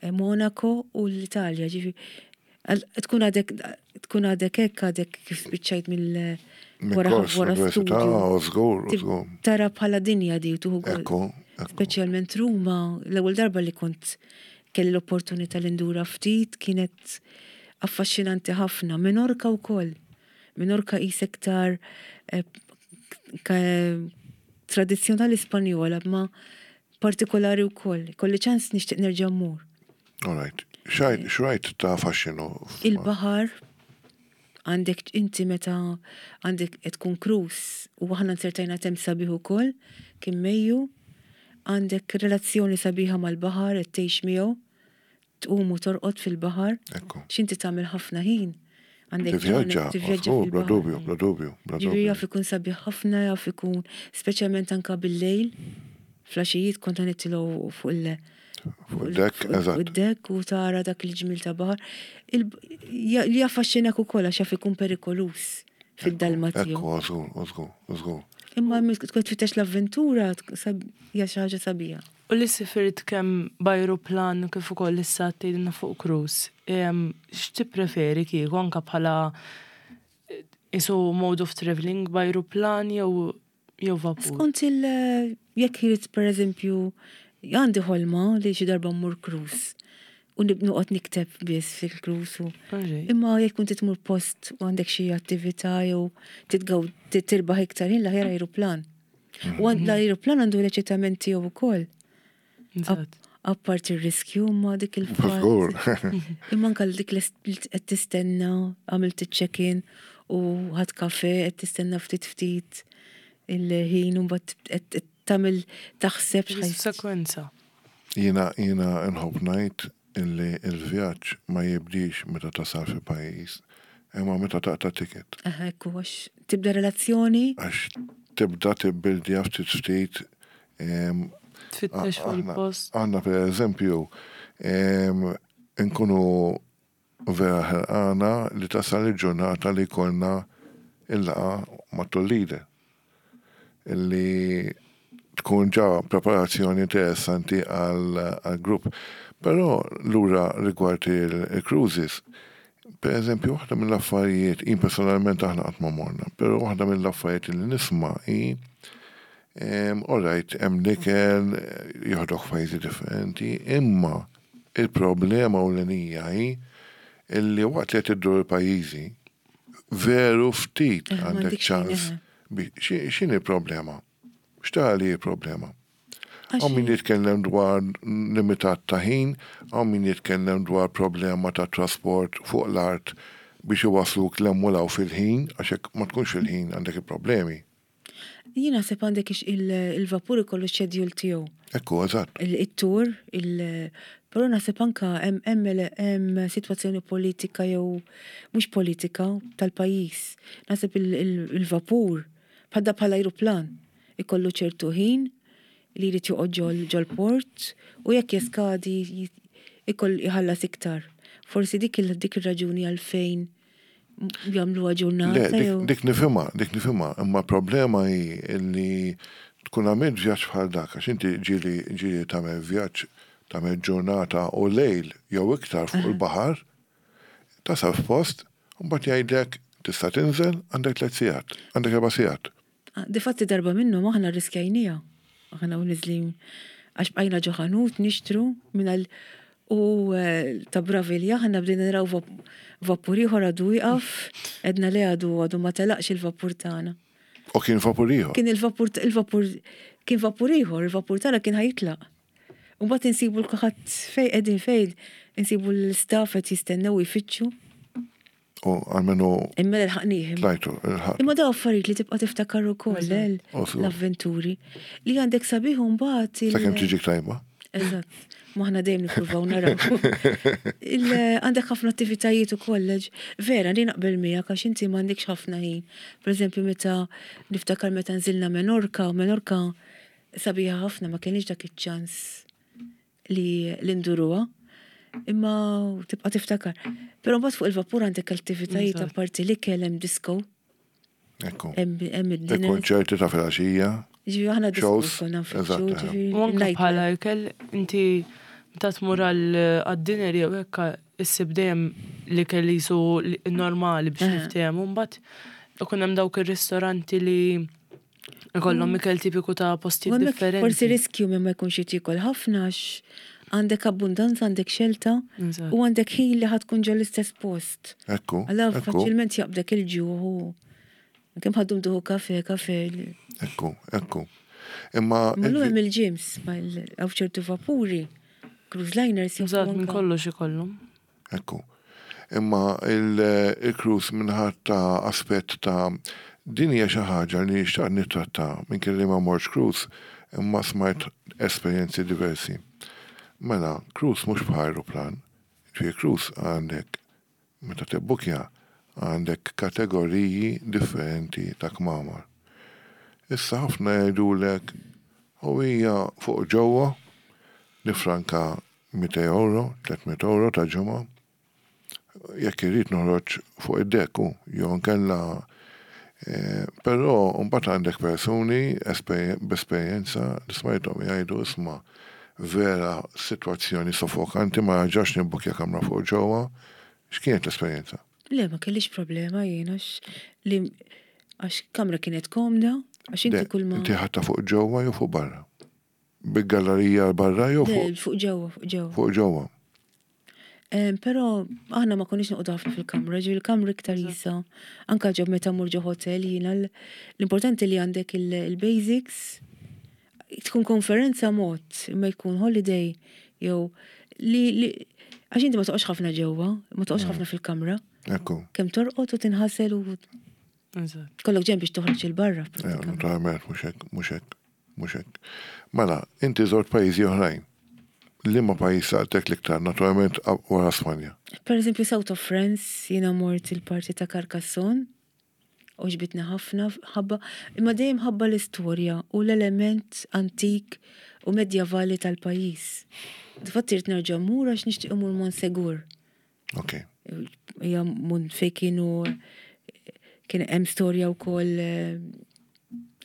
eh, Monaco u l-Italja, ġifi. Tkun għadek tkun għadek hekk għadek kif spiċċajt mill wara wara studju. Tara bħala dinja di tuħu. Speċjalment Ruma, l-ewwel darba li kont kelli l-opportunità li ndura ftit kienet affaxxinanti ħafna. Minorka wkoll. Minorka qisek tar eh, tradizzjonali Spanjola ma partikolari wkoll. Kolli ċans nixtieq nerġa' mmur. All right. Xrajt ta' faxxinu? Il-baħar għandek inti meta għandek qed tkun cruise u aħna nsertajna temp sabiħ ukoll, kien Mejju, għandek relazzjoni sabiħa mal-baħar qed tgħix miegħu, tqum u torqod fil-baħar. Ekku. X'inti tagħmel ħafna ħin. Għandek Tivvjaġġa, tivvjaġġa żgur, bla dubju, bla dubju, bla Ġifieri dubju. jaf ikun sabiħ ħafna, jaf ikun speċjalment anka bil-lejl. Flaxijiet kont nitilgħu fuq il- Fuq id-dekk, eżatt. Fuq id-dekk u tara dak il-ġmil ta' baħar. Li jaffaxxinak ukoll għax jaf ikun perikoluż fid-dalma tiegħu. Ekku, żgur, żgur, żgur. Imma tkun tfittex l-avventura hija xi ħaġa sabiħa. U li sifirt kemm b'ajruplan kif ukoll issa tgħidilna fuq cruise, x'tippreferi kieku anke bħala isu mode of travelling b'ajruplan jew jew vapur? Skont il jekk irid pereżempju għandi ħolma li xi darba mmur cruise u noqgħod nikteb biss fil-cruise u imma jekk inti tmur post u għandek xi attività jew titgaw tirbaħ iktar ħin l-aħjar ajruplan. U l-ajruplan għandu l-eċitament tiegħu wkoll. Apparti r-riskju ma dik il-fatt. Imma anke dik li qed tistenna għamilt iċ-check-in u ħadd kafe qed tistenna ftit ftit il-ħin u mbagħad qed tagħmel taħseb x'ħaj. Sekwenza. Jiena jiena nħobb ngħid illi l-vjaġġ ma jibdiex meta tasal fi pajjiż, imma meta taqta' ticket. Eħe, ekku, għax tibda relazzjoni. Għax tibda tibbildja ftit ftit. Tfittex fuq il-post. Aħna per eżempju, nkunu vera ħerqana li tasal il-ġurnata li jkollna il-laqgħa ma' tour leader. Illi tkun ġa preparazzjoni interessanti għal grupp. Però lura rigward il-cruises, per eżempju, waħda mill-affarijiet, jien personalment aħna qatt ma morna, però waħda mill-affarijiet li nisma' hi all right, hemm l-ikel, joħdok f'pajjiżi differenti, imma il-problema ewlenija hi illi waqt li qed iddur il-pajjiżi, veru ftit għandek ċans. X'inhi l-problema? X'tara li hi problema? Hawn min jitkellem dwar limitat ta' ħin, hawn min jitkellem dwar problema ta' trasport fuq l-art biex iwassluk 'l hemm u 'l hawn fil-ħin, għax jekk ma tkunx fil-ħin għandek il-problemi. Jien naħseb għandek il-vapur ikollu x-schedule tiegħu. Ekku, eżatt. It-tour, però naħseb anka hemm sitwazzjoni politika jew mhux politika tal-pajjiż. Naħseb il-vapur bħal bħal ajruplan ikollu ċertu ħin li jrid joqgħod ġol-port u jekk jeskadi ikoll iħallas iktar. Forsi dik ir-raġuni għalfejn jagħmluha ġurnata. Le, dik nifhimha, dik nifhimha, imma problema hi li tkun għamilt vjaġġ bħal dak, għax inti ġieli ġieli tagħmel vjaġġ tagħmel ġurnata u lejl jew iktar fuq il-baħar, tasal f'post, u mbagħad jgħidlek tista' tinżel għandek tliet sigħat, għandek erba' sigħat. Difatti darba minnhom aħna rriskjajnieha. Aħna u niżlin għax bqajna ġo ħanut nixtru minn għal u eh, ta' bravi li aħna bdejna naraw vapur ieħor għadu wieqaf, edna le għadu għadu ma telaqx il-vapur tagħna. U kien vapur ieħor? Kien il-vapur il-vapur kien vapur ieħor, il-vapur tagħna kien ħajitlaq. U mbagħad insibu l-kulħadd fejn qegħdin fejn insibu l-istaff qed jistennew jfittxu. U għalmenu. Imma l-ħaqnieh. Tlajtu, il-ħaq. Imma daw affarijiet li tibqa' tiftakar ukoll eh, l-avventuri li għandek sabiħ u mbagħad. Sakemm tiġik tajba. Eżatt. Maħna dejjem nippruvaw naraw. Għandek ħafna attivitajiet ukoll. Vera, li naqbel miegħek għax inti m'għandekx ħafna ħin. Per eżempju, meta niftakar meta nżilna Menorka, Menorka sabiħa ħafna ma kienx dak iċ-ċans li li nduruha, imma tibqa' tiftakar. Però mbagħad fuq il-vapur għandek attivitajiet apparti l-ikel hemm disco. Ekku. Hemm id-dinner. Il-konċerti ta' filgħaxija. Ġifieri aħna disco konna nfittxu, ġifieri. U anke bħala ikel inti meta tmur għad-dinner jew hekk issib dejjem l-ikel li jisu normali biex niftehmu mbagħad ikun hemm dawk ir-ristoranti li Ikollhom ikel tipiku ta' postijiet differenti. Forsi riskju minn ma jkunx qed jiekol ħafna għax għandek abbundanza, għandek xelta u għandek ħin li ħad tkun ġol l-istess post. Ekku. Alla faċilment jaqbdek il-ġuħ u kemm ħaddum duħu kafe, kafe. Ekku, ekku. Imma. Mallu hemm il-ġims, għaw ċertu vapuri. Cruise liners joffru Eżatt, minn kollox ikollhom. Ekku. Imma il-cruise minħat ta' aspett ta' din hija xi ħaġa li xtaqt nittratta minkejja li ma mortx cruise imma smajt esperjenzi diversi. Mela, cruise mhux bħal ajruplan. Ġifieri cruise għandek meta tibbukja għandek kategoriji differenti ta' kmamar. Issa ħafna jgħidulek u hija fuq ġewwa nifranka 200 ewro, 300 ewro ta' ġimgħa. Jekk irrid noħroġ fuq id-dekk hu, jew inkella Però mbagħad għandek persuni b'esperjenza li smajthom jgħidu isma' vera sitwazzjoni soffokanti ma nerġax nibbukja kamra fuq ġewwa. X'kienet l-esperjenza? Le, ma kellix problema jien għax li għax kamra kienet komda, għax inti kull ma. Inti ħadtha fuq ġewwa jew fuq barra? Bil-gallerija barra jew fuq? Fuq ġewwa, fuq ġewwa. Fuq ġewwa. Però aħna ma konniex noqogħdu ħafna fil-kamra, ġifieri il-kamra iktar jisa. Anka ġob meta mur ġo hotel jiena l-importanti li għandek il-basics, tkun konferenza mod, imma jkun holiday jew li għax inti ma toqgħodx ħafna ġewwa, ma toqgħodx mm. ħafna fil-kamra. Ekku. Kemm torqod u tinħasel u kollok ġen biex toħroġ il-barra. Naturalment, mhux hekk, mhux hekk. Mhux hekk. Mela, inti żort pajjiżi oħrajn. Liema pajjiż laqtek l-iktar, naturalment wara Spanja? Per eżempju, South of France, jiena mort il-parti ta' Carcassonne, għoġbitni ħafna, ħabba, imma dejjem ħabba l-istorja u l-element antik u medjavali tal-pajjiż. Difatti rrid nerġa' mmur għax nixtieq immur Montsegur. Ok. Hija mun fej kienu kien hemm storja wkoll eh,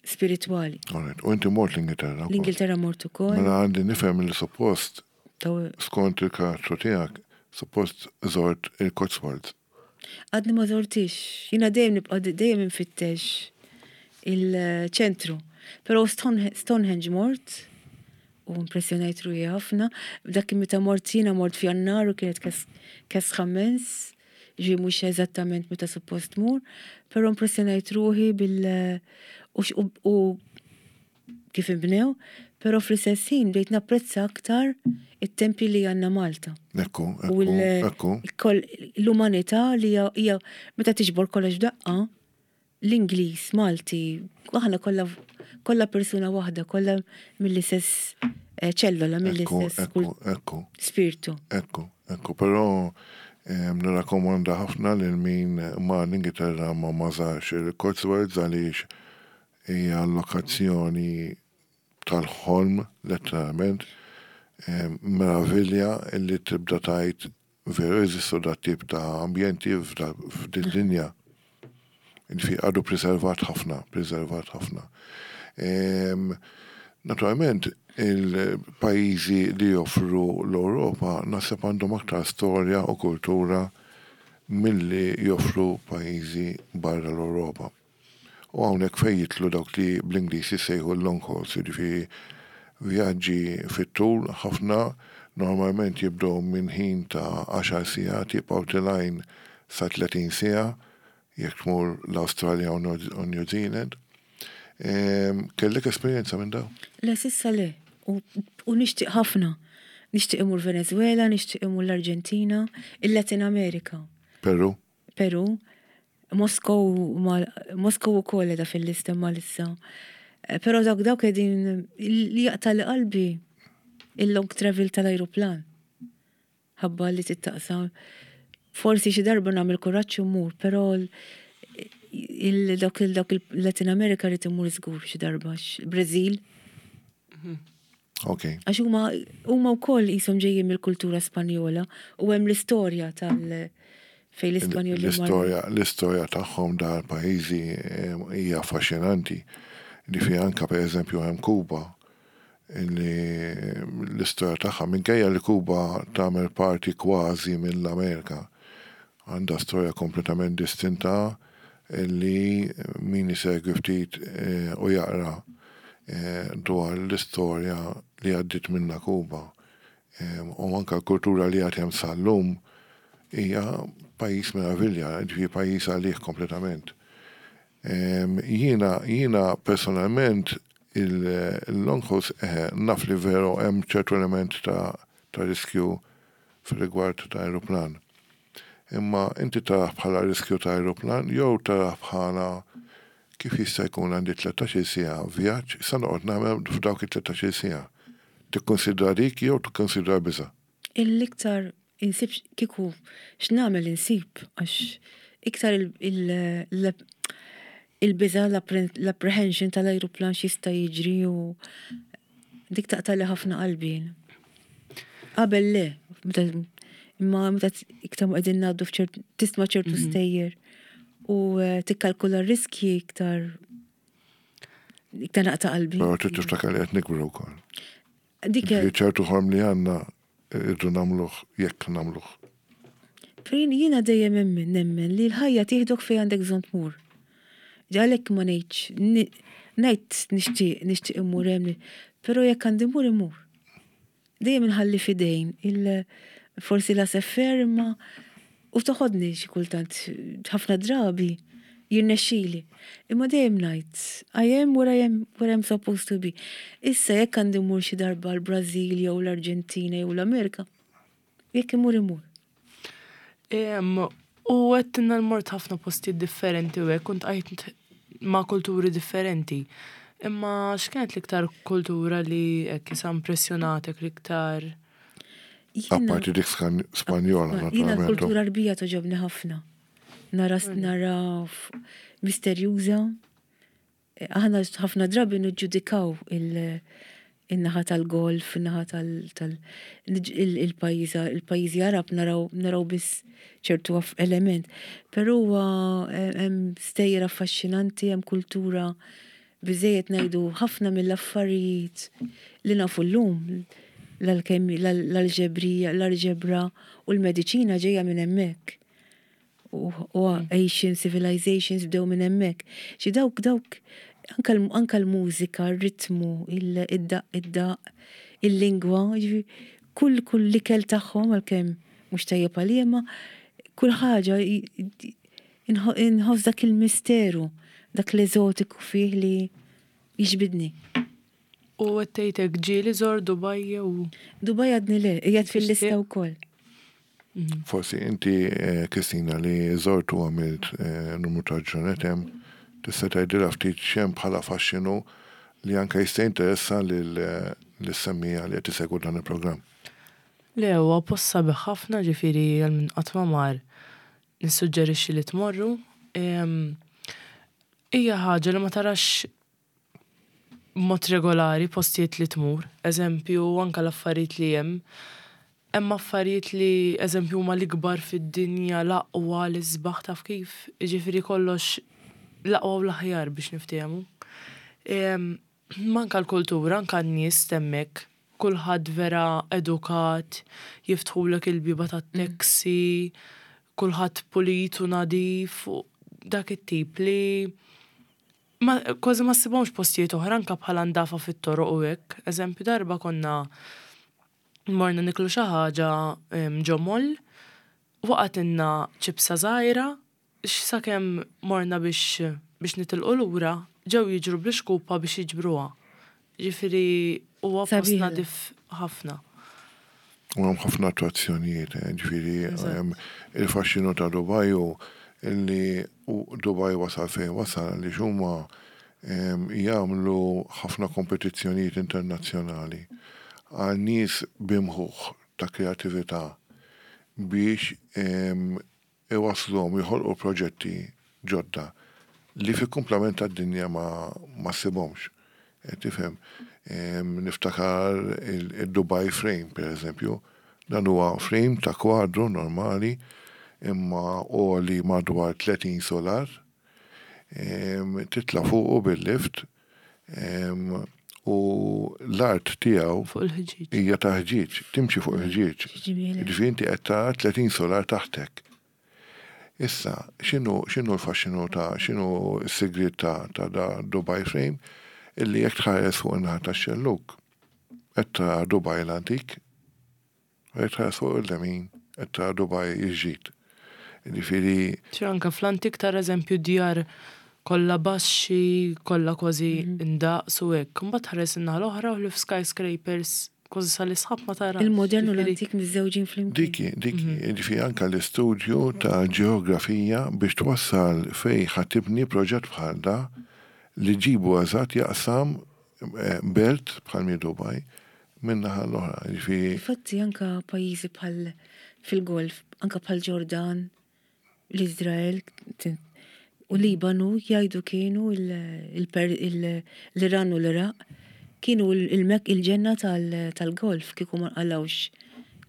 spiritwali. Alright. U inti mort l-Ingilterra? L-Ingilterra mort ukoll. Mela għandi nifhem li suppost skont il-karattru tiegħek, suppost żort il-Cotswolds. Għadni ma żortix. Jiena dejjem nibqa' dejjem infittex il-ċentru. Però Stonehenge mort u impressjonajt ruħi ħafna. Dak meta mort jiena mort f'Jannar u kienet kesħa immens, ġi mhux eżattament meta suppost tmur, però impressjonajt ruħi bil u kif inbnew, però fl-istess ħin bdejt napprezza aktar it-tempji li għandna Malta. Ekku, ekku, ekku. L-umanità li hija meta tiġbor kollox f'daqqa, l-Ingliż, Malti, aħna kollha kollha persuna waħda, kollha mill-istess eh, ċellola, mill-istess spirtu. Ekku, ekku, però nirrakkomanda ħafna lil min ma l-Ingilterra ma mażarx il-Cotswolds għaliex hija lokazzjoni tal-ħolm letteralment, meravilja illi tibda tgħid Veru jeżistu dat-tip ta' ambjenti f'did-dinja. Jiġifieri għadu preservat ħafna, preservat ħafna. Naturalment, il-pajjiżi li joffru l-Ewropa naħseb għandhom aktar storja u kultura milli joffru pajjiżi barra l-Ewropa. U hawnhekk fejn jidħlu dawk li bl-Ingliż jissejħu l-long hauls, jiġifieri vjaġġi fit-tul ħafna, normalment jibdew minn ħin ta' għaxar sigħat jibqgħu tilgħin sa 30 siegħa jekk tmur l-Awstralja u New Zealand. Kellek esperjenza minn dawn? Le, s'issa le. U nixtieq ħafna. Nixtieq immur Venezuela, nixtieq immur l-Arġentina, il-Latin America. Peru? Peru. Moskow Moskow ukoll qiegħda fil-lista imma lissa. Eh, però dawk dawk qegħdin li jaqta' li qalbi il-long travel tal-ajruplan. Ħabba li tittaqsam. Forsi xi darba nagħmel kuraġġ u mmur, però il-dawk il-dawk il-Latin America rrid immur żgur xi darba, Brażil. Mhm. Ok. Għax huma huma wkoll qishom ġejjin mill-kultura Spanjola u hemm l-istorja tal fejn l-Ispanjoli L-istorja l-istorja tagħhom dar pajjiżi eh, hija affaxxinanti. Li fi anka pereżempju hemm Kuba li l-istorja tagħha minkejja li Kuba tagħmel parti kważi mill-Amerika Għandha storja kompletament distinta li min isegwi ftit u jaqra dwar l-istorja li għaddiet minnha Kuba u anke l-kultura li għad hemm sal-lum hija pajjiż meravilja, jiġifieri pajjiż għalih kompletament. Jiena jiena personalment il-long hauls eħe naf li veru hemm ċertu element ta' ta' riskju fir-rigward ta' ajruplan. Imma inti tarah bħala riskju ta' ajruplan jew tarah bħala kif jista' jkun għandi 13-il siegħa vjaġġ x'sa noqgħod nagħmel f'dawk it-13-il siegħa? Tikkunsidra dik jew tikkunsidra l-biża'? L-iktar insib kieku x'nagħmel insib għax iktar il-biża' l-apprehension tal-ajruplan x'jista' jiġri u dik taqtagħli ħafna qalbi jien. Qabel le, imma meta iktar ma qegħdin ngħaddu f'ċert tisma' ċertu mhm. stejjer u eh, tikkalkula r-riskji iktar iktar naqta' qalbi. Però trid tiftakar li qed nikbru wkoll. Dik ċertu ħolm li għandna irridu nagħmluh jekk nagħmluh. Prin jiena dejjem emmen nemmen li l-ħajja tieħdok fejn għandek bżonn tmur. Għalhekk ma ngħidx ngħid nixtieq nixtieq immur hemm, però jekk għandi mmur immur. Dejjem inħalli f'idejn il forsi la seffer imma u toħodni xi kultant ħafna drabi jirnexxili. Imma dejjem ngħid I am where I am where I'm supposed to be. Issa jekk għandi mmur xi darba l-Brażil jew l-Arġentina jew l-Amerika, jekk immur immur. U għedtilna li mort ħafna postijiet differenti u hekk, u ltqajt ma' kulturi differenti. Imma x'kienet l-iktar kultura li hekk isa impressjonatek l-iktar? Apparti dik Spanjola, naturalment. Jiena l-kultura Arbija toġobni ħafna. Nara nara misterjuża. Aħna ħafna drabi niġġudikaw il-naħa tal-Golf, il-naħa tal-pajjiżi Arab naraw naraw biss ċertu element. Però huwa hemm stejjer affaxxinanti, hemm kultura biżejjed ngħidu ħafna mill-affarijiet li nafu llum l-alġebrija, l-alġebra u l-mediċina ġejja minn hemmhekk. U Asian civilizations bdew minn hemmhekk. Xi dawk dawk anka l-mużika, r-ritmu, id-daq, id-daq, il-lingwa, kull kull l-ikel tagħhom għalkemm mhux tajjeb għalija imma kull ħaġa inħoss dak il-misteru, dak l-eżotiku fih li jiġbidni. U qed tgħid hekk ġieli żort Dubai jew? Dubai għadni le, qiegħed fil-lista wkoll. Forsi inti Kristina li żort u għamilt numru ta' ġranet hemm, tista' tgħidilha ftit x'hemm bħala faxxinu li anke jista' jinteressa lis-semmiegħa li qed isegwu dan il-programm. Le, huwa post sabiħ ħafna ġifieri għal min qatt ma mar nissuġġerixxi li tmorru. Hija ħaġa li ma tarax b'mod regolari postijiet li tmur, eżempju anke l-affarijiet li hemm. Hemm affarijiet li eżempju huma l-ikbar fid-dinja, l-aqwa, l-isbaħ taf kif? Jiġifieri kollox l-aqwa u l-aħjar biex niftehmu. Imma anke l-kultura, anke n-nies t'hemmhekk, kulħadd vera edukat, jiftħulek il-bieba tat-taxi, kulħadd pulit u nadif u dak it-tip li Ma, kważi ma ssibhomx postijiet oħra anke bħala ndafa fit-toroq u hekk. Eżempju darba konna morna niklu xi ħaġa ġo mall, waqgħetilna ċipsa żgħira, sakemm morna biex biex nitilqu lura ġew jiġru bl-ixkupa biex jiġbruha. Ġifieri huwa post nadif ħafna. U hemm ħafna attrazzjonijiet, eh, ġifieri il-faxxinu ta' Dubai hu li Dubai wasal fejn wasal għaliex huma jagħmlu ħafna kompetizzjonijiet internazzjonali għal nies b'imħuħ ta' kreatività biex iwassluhom joħolqu proġetti ġodda li fil-kumplament tad-dinja ma ma ssibhomx. Qed tifhem? Niftakar id-Dubai Frame, pereżempju. Dan huwa frame ta' kwadru normali imma għoli madwar 30 sular. Titla' fuqu bil-lift u l-art tiegħu hija ta' ħġieġ, timxi fuq il-ħġieġ. Jiġifieri inti qed tara 30 solar taħtek. Issa, x'inhu x'inhu l-faxxinu ta' x'inhu s-sigriet ta' ta' da Dubai Frame? Illi jekk tħares fuq in-naħa tax-xellug qed tara Dubai l-antik, U jekk tħares fuq il-lemin qed tara Dubai il-ġdid. Jiġifieri. Ċe anke fl-antik tara eżempju djar kollha baxxi, kollha kważi indaqs u hekk. Imbagħad tħares in-naħa l-oħra u ħlief skyscrapers. kważi sal-isħab ma tarax. Il-modern u l-antik miżżewġin flimkien. Dik hi, dik hi, jiġifieri anke l-istudju ta' ġeografija biex twassal fejn ħa tibni proġett bħal da li ġġibu eżatt jaqsam belt bħal m'hi Dubai minn naħa l-oħra, jiġifieri. Infatti anke pajjiżi bħal fil-Golf, anke bħal Ġordan, L-Iżrael u Libanu jgħidu kienu l-Iran u l-Iraq kienu il-Mek il-ġenna tal-Golf kieku ma nqalgħux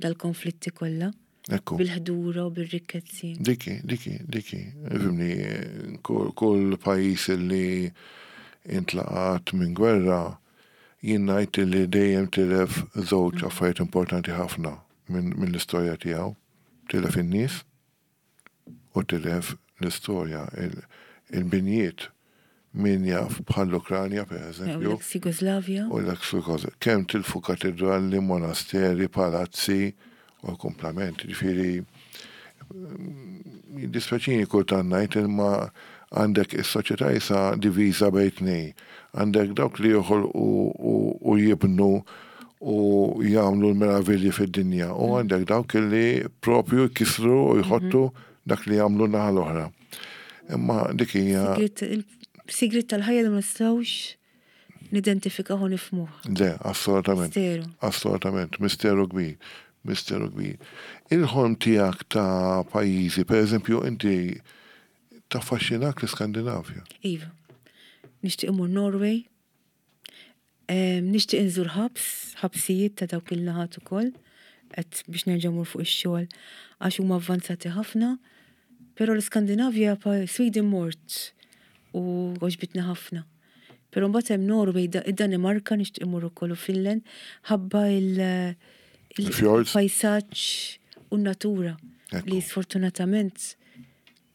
dal-konflitti kollha. Ekku. Bil-ħdura u bir-rikkezzi. Diki, diki, diki. Fimni, kull pajjiż li intlaqat minn gwerra, jien ngħid li dejjem tilef żewġ affarijiet importanti ħafna mill-istorja tiegħu. Tilef in-nies u tilef l-istorja, il-binjiet, min jaf bħall-Ukranja per eżempju. U l-ex Jugoslavja. U l-ex Jugoslavja. Kemm tilfu katedrali, monasteri, palazzi u l-kumplament. Ġifieri, jiddispjaċini kultant ngħid imma għandek is-soċjetà issa diviża bejn tnejn. Għandek dawk li joħolqu u jibnu u jagħmlu l-meravilji fid-dinja u mm. għandek dawk li propju jkissru u jħottu mhm. dak li jagħmlu naħa l-oħra. Imma dik hija. Sigrit tal-ħajja li ma nistgħux nidentifikaw u nifhmuh. Le, assolutament. Misteru. Assolutament, misteru kbir. Misteru kbir. Il-ħolm tiegħek ta' pajjiżi, per eżempju, inti taffaxxinak l-Iskandinavja. Iva. Nixtieq imur Norway, Nixtieq inżur ħabs, ħabsijiet ta' dawk il-naħat ukoll, qed biex nerġa' mmur fuq ix-xogħol għax huma avvanzati ħafna. Però l-Iskandinavja Sweden mort u għoġbitni ħafna. Però mbagħad hemm Norway, id-Danimarka nixtieq immur ukoll u Finland ħabba il-pajsaġġ u n-natura li sfortunatament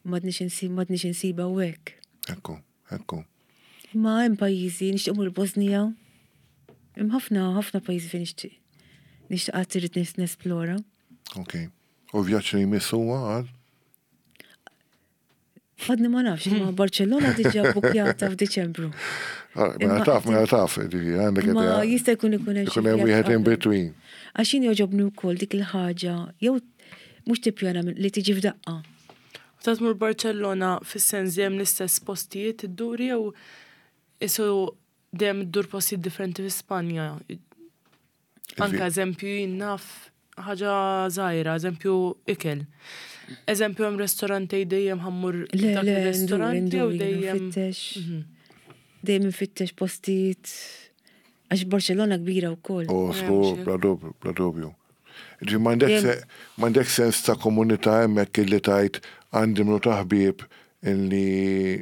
m'għadniex insibha hawnhekk. Ekku. Ekku. Imma hemm pajjiżi, nixtieq mur Bosnija. Hemm ħafna ħafna pajjiżi fejn nixtieq. Nixtieq qatt irid nesplora. Ok. U vjaġġ li jmiss huwa għal? Għadni ma nafx, ma Barcellona diġà bukjata f'Diċembru. Ah, mela taf, mela taf, għandek Ma jista' jkun ikun hemm. Ikun hemm wieħed in between. Għax jien jogħġobni wkoll dik il-ħaġa, jew mhux tippjana li tiġi f'daqqa. Meta tmur Barċellona fis-sens dejjem l-istess postijiet iddur jew isu dejjem iddur postijiet differenti fi Spanja? Anke eżempju jien naf ħaġa żgħira, eżempju ikel. Eżempju hemm restorant dejjem ħammur dak ir-restorant jew dejjem. Mhm. Dejjem infittex postijiet Għax Barcellona kbira wkoll. Oh, żgur, bla dubju, bla dubju. Ġi m'għandek sens ta' komunità hemmhekk illi tajt għandi mlu ta' ħbieb illi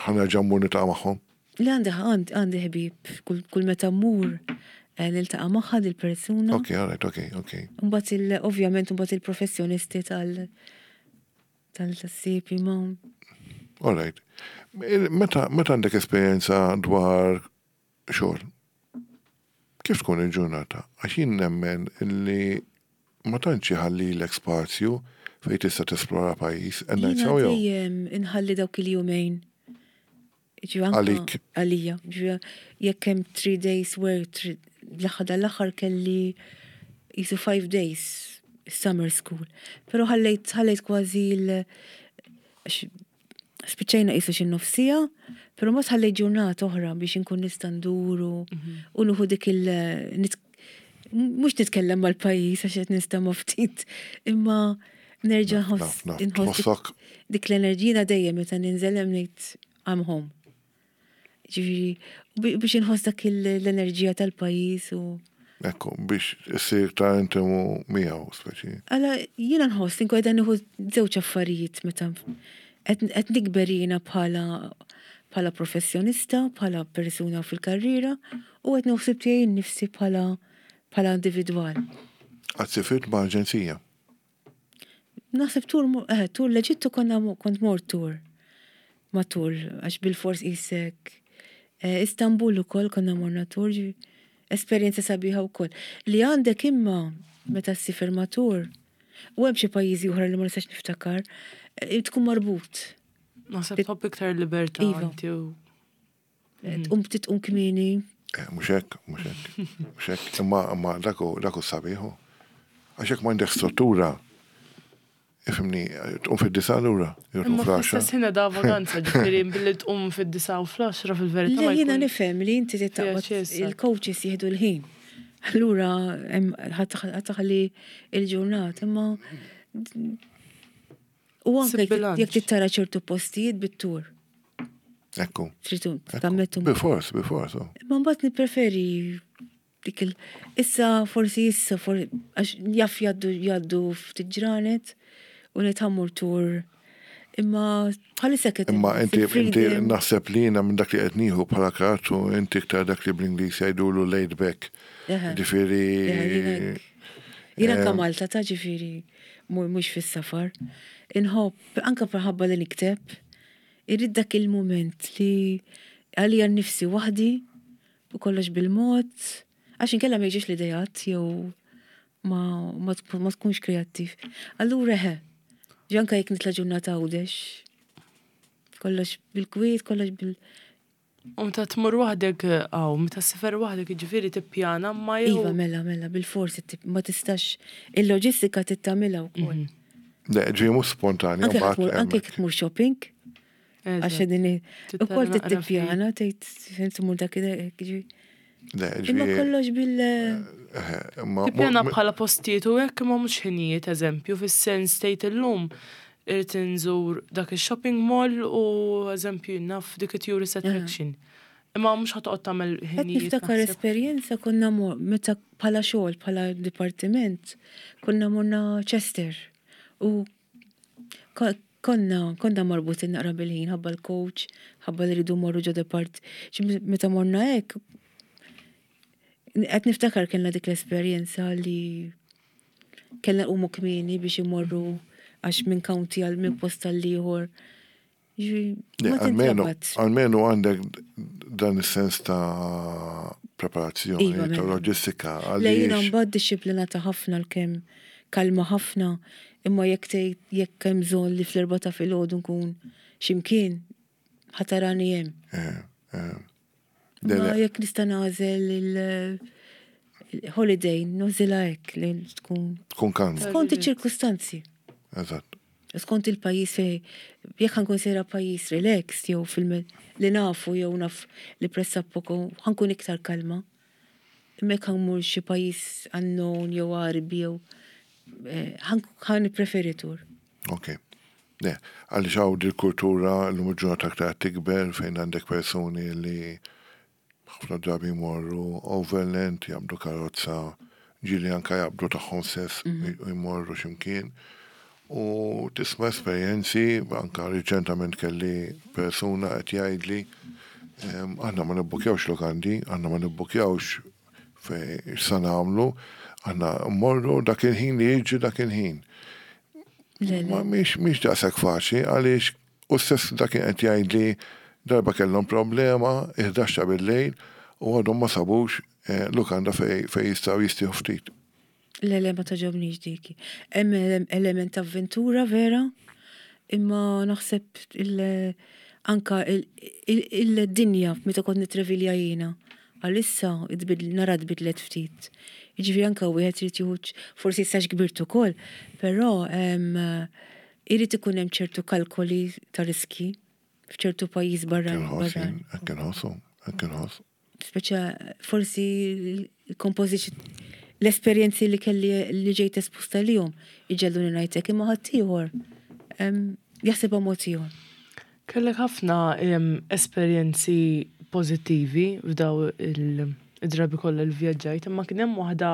ħa nerġa' mmur niltaqa' magħhom? Le għandi għandi ħbieb, kull meta mmur eh, niltaqa' magħha dil-persuna. Ok, all right, ok, ok. Mbagħad il ovvjament mbagħad il-professjonisti tal tal-sipi ma. All right. Meta għandek esperjenza dwar xogħol. Kif tkun il-ġurnata? Għax jien nemmen li ma tantx iħallilek spazju fejn tista' tesplora pajjiż. And ngħid sew jew? Dejjem inħalli dawk il-jumejn. Għalik. Għalija. Jekk hemm 3 days work, l-aħħar dal-aħħar kelli jisu 5 days summer school. Pero ħallejt ħallejt kważi l Spiċċajna qisu xi nofsija, però mbagħad ħallejt ġurnata oħra biex inkun nista' ndur u mhm. nieħu dik il mhux nitkellem mal-pajjiż għax qed nistema' ftit, imma nerġa' nħoss dik l-enerġija dejjem meta ninżel hemm ngħid I'm home. Ġifieri, biex inħoss dak l-enerġija tal-pajjiż u. Ekku, biex issir ta' intimu miegħu, speċi. Għala, jiena nħoss inkun qiegħda nieħu żewġ affarijiet meta qed nikber jiena bħala bħala professjonista, bħala persuna fil-karriera u qed nieħu ħsieb tiegħi nnifsi bħala bħala individwal. Qatt sifirt ma' aġenzija? Naħseb tur, eh, tur l-Eġittu konna kont mort tur. Ma tur, għax bil-fors isek. Eh, Istanbul ukoll konna morna tur, esperjenza sabiħa wkoll. Li għandek imma meta ssifer ma tur, u hemm xi pajjiżi oħra li ma nistax niftakar, eh, tkun marbut. Naħseb tħobb iktar libertà iva. inti u Tqum titqum kmieni. Eh, mhux hekk, mhux hekk, mhux hekk, imma imma dak hu dak hu sabiħ hu. Għax jekk m'għandek struttura, ifhimni, tqum fid-disgħa lura, jew tqum Imma fl-għaxra. fl-istess ħin da vaganza, ġifieri billi tqum fid-disgħa u fl-għaxra fil-verità Le ma jiena jkun nifhem li inti trid fiha taqbad ċessa. il-coaches jieħdu l-ħin. Allura hemm ħa taħli il-ġurnata, imma u anke Sib jekk bilanċ. jekk trid tara ċertu postijiet bit-tur. Ekku. Trid ekku. tammettu. Bilfors, bilfors. oh. Imma mbagħad nippreferi dik il issa forsi issa for għax jaf jgħaddu jgħaddu ftit ġranet u ngħid ħa mmur tur. Imma bħalissa qed Imma inħoss inti inti il-freedom. naħseb li jiena minn dak li qed nieħu bħala karattru inti iktar dak li bl-Ingliż jgħidulu laid back. Eħe. Ġifieri Eħe, jiena hekk. Jiena anka Malta ta' ġifieri mhux fis-safar. Inħobb anka minħabba li nikteb, irrid dak il-mument li għalija nnifsi waħdi u kollox bil-mod, għax inkella ma jiġix l-idejat jew ma, ma, tkun- ma tkunx kreattiv. Allura eħe, ġi anka jekk nitla' ġurnata Għawdex, kollox bil-kwiet, kollox bil... U meta tmur waħdek għaw, meta ssifer waħdek jiġifieri tippjana ma jew. Iva, mela, mela, bil-forsi ma tistax, il-loġistika tittamilha wkoll. Le, ġi mhux spontanja Anke mbagħad tmur, anke hemmhekk. jekk tmur shopping, għax Eżatt. din Trid ukoll tara naqra tippjana tgħid fejn tmur dak ġi. Le, Imma ġi kollox bil eh, imma Tippjana bħala postijiet u hekk imma mhux ħinijiet eżempju fis-sens tgħid illum irid inżur dak ix-shopping mall u eżempju naf dik it-tourist attraction. Imma mhux ħa toqgħod tagħmel Qed ħinijiet. niftakar naħseb. esperjenza konna mor meta bħala xogħol bħala dipartiment konna morna Chester u ko- konna konna marbutin naqra bil-ħin ħabba l-coach, ħabba li rridu morru ġo depart. Ġi Meta morna hekk qed niftakar kellna dik l-esperjenza li kellna nqumu kmieni biex imorru għax minn county għal minn post għal ieħor. Ġifieri, Le, Ma almenu, tintrabat. almenu għandek dan is-sens ta' preparazzjoni, Iva, ta' mela. loġistika, Le jiena għaliex mbagħad dixxiplinata ħafna l-kemm kalma ħafna, imma jekk tgħid jekk hemm bżonn li fl-erba' ta' filgħodu nkun x'imkien ħatarani hemm. Eh, eh. Le, Ma le, jekk nista' nagħżel il-holiday, nużilha hekk li tkun tkun kalma, skont iċ-ċirkustanzi. eżatt. Skont il-pajjiż fej jekk ħankun sejra pajjiż relaxed jew fil li nafu jew naf li pressappoco ħankun iktar kalma. Imma jekk ħammur xi pajjiż unknown jew Għarbi jew eh, ħan nippreferi tur. Ok. Le, għaliex hawn dil-kultura l-lum il-ġurnata aktar tikber fejn għandek persuni li ħafna drabi jmorru overland, jaqbdu karozza, ġieli anka jaqbdu tagħhom stess u jmorru x'imkien. U tisma' esperjenzi, anka riċentament kelli persuna qed jgħidli ehm, aħna ma nibbukjawx lokandi, aħna ma nibbukjawx fej sa nagħmlu, aħna mmorru dak il-ħin li jiġi dak il-ħin. Le, le. Ma mhix mhix daqshekk faċli għaliex u stess dak kien qed jgħidli darba kellhom problema 11 ta' bil-lejl u għadhom ma sabux eh, lukanda fej fej jistgħu jistieħu ftit. Le, le, ma taġobniex dik. Hemm ele- element ta' avventura vera, imma naħseb il- anka il- il- il-dinja meta kont nitrevilja jiena. Għalissa tbidl- nara tbidlet ftit. Jiġifieri anka wieħed irid jieħu forsi issa kbirt ukoll, però em, irid ikun hemm ċertu kalkoli ta' riski f'ċertu pajjiż barra. Kien ħoss, barra. jien, hekk inħossu, hekk inħoss. Speċa forsi l-kompożiċi l-esperjenzi li kelli li ġejt esposta lihom iġelluni ngħidlek imma ħaddieħor em, jaħsibha mod ieħor. Kellek ħafna em, esperjenzi pożittivi f'daw il-drabi kollha li vjaġġajt, imma kien hemm waħda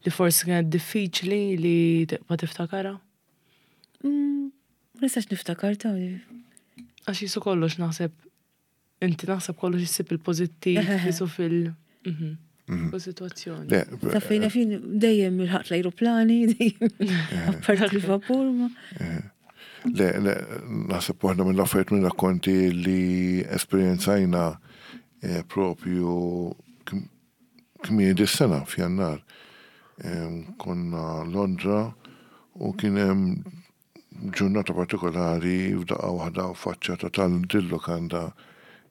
li forsi kienet diffiċli li tibqa' tiftakarha? Mm, Ma nistax niftakar ta' Għax jisu kollox naħseb inti naħseb kollox issib il-pożittiv jisu fil- mhm, kull sitwazzjoni. Le, ta' fejna fin dejjem il-ħaqt l-ajruplani, dejjem apparti l-vapur. ma- Le, le, naħseb waħda mill-affarijiet minn rakkonti li esperjenzajna eh, propju km- kmieni dis-sena f'Jannar. Em, Konna Londra u kien hemm ġurnata partikolari f'daqqa waħda faċċata tal-dil-lukanda.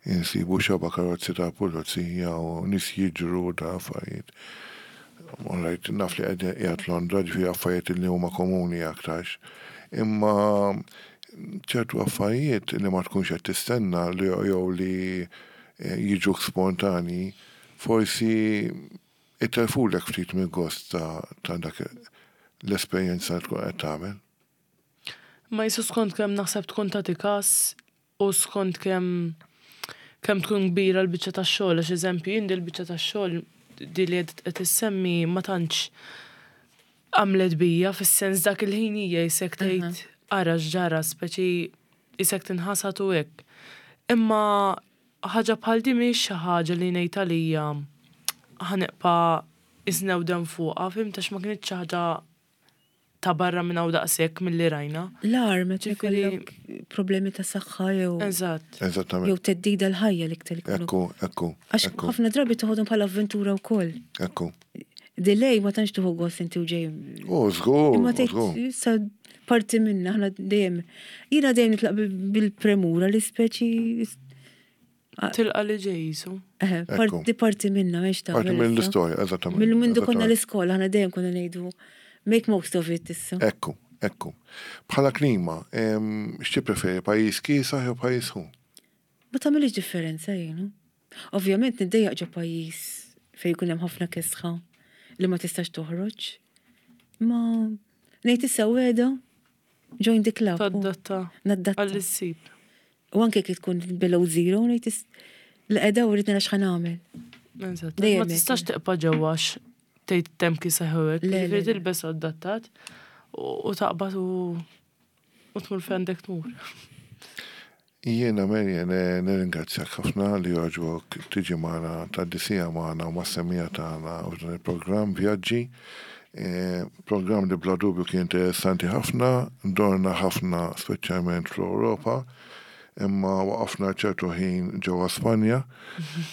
insibu xaba karozzi ta' pulizija u nies jiġru u da affarijiet. All right, naf li qed qiegħed Londra, ġifieri affarijiet li huma komuni aktarx. Imma ċertu affarijiet li ma tkunx qed tistenna li jew li jiġuk spontani, forsi itellfulek ftit mill-gost ta' dak l-esperjenza li tkun qed tagħmel. Ma jisu skont kemm naħseb tkun tagħti każ u skont kemm kemm tkun kbira l-biċċa tax-xogħol, għax eżempju jien di l-biċċa tax-xogħol di li qed issemmi ma tantx għamlet bija fis-sens dak il-ħin hija jisek tgħid ara x'ġara speċi jisek tinħasad u hekk. Imma ħaġa bħal di mhijiex xi ħaġa li ngħid għalija ħa nibqa' iżnewden fuqha, fhimt għax ma kinitx xi ħaġa ta' barra minn hawn daqshekk milli rajna. L-agħar meta jkollok problemi ta' saħħa jew. Eżatt. Eżattament. Jew theddida l-ħajja l-iktar ikunu. Ekku, ekku. Għax ħafna drabi toħodhom bħala avventura wkoll. Ekku. Delay ma tantx tuħu gost inti u ġej. U żgur. Imma tgħid sa parti minna aħna dejjem. Jiena dejjem nitlaq bil-premura li speċi Tilqa li ġej jisu. Parti parti minna, mex ta' Parti mill-istorja, eżattament. Mill-mindu konna l-iskola, aħna dejjem konna ngħidu make most of it issa. Ekku, ekku. Bħala klima, x'tippreferi pajjiż kiesaħ jew pajjiż sħun? Ma tagħmilx differenza jiena. Ovvjament niddejjaq ġo pajjiż fejn jkun hemm ħafna kesħa li ma tistax toħroġ. Ma ngħid issa wegħda join the club. Tadatta. Nadatta. Għall-issib. U anke kif tkun below zero, ngħid l-qeda u rrid nara x'ħa nagħmel. Eżatt. Ma tistax tiqpa' ġewwa tgħid temp kiesaħ u hekk. Ġifieri tilbes adattat u taqbad u tmur fejn għandek tmur. Jiena Marian nirringrazzjak ħafna li għoġbok tiġi magħna tgħaddi siegħa magħna u mas-semmiegħa tagħna f'dan il-programm Vjaġġi. Programm li bla dubju kien interessanti ħafna, dorna ħafna speċjalment fl-Ewropa, imma waqafna ċertu ħin ġewwa Spanja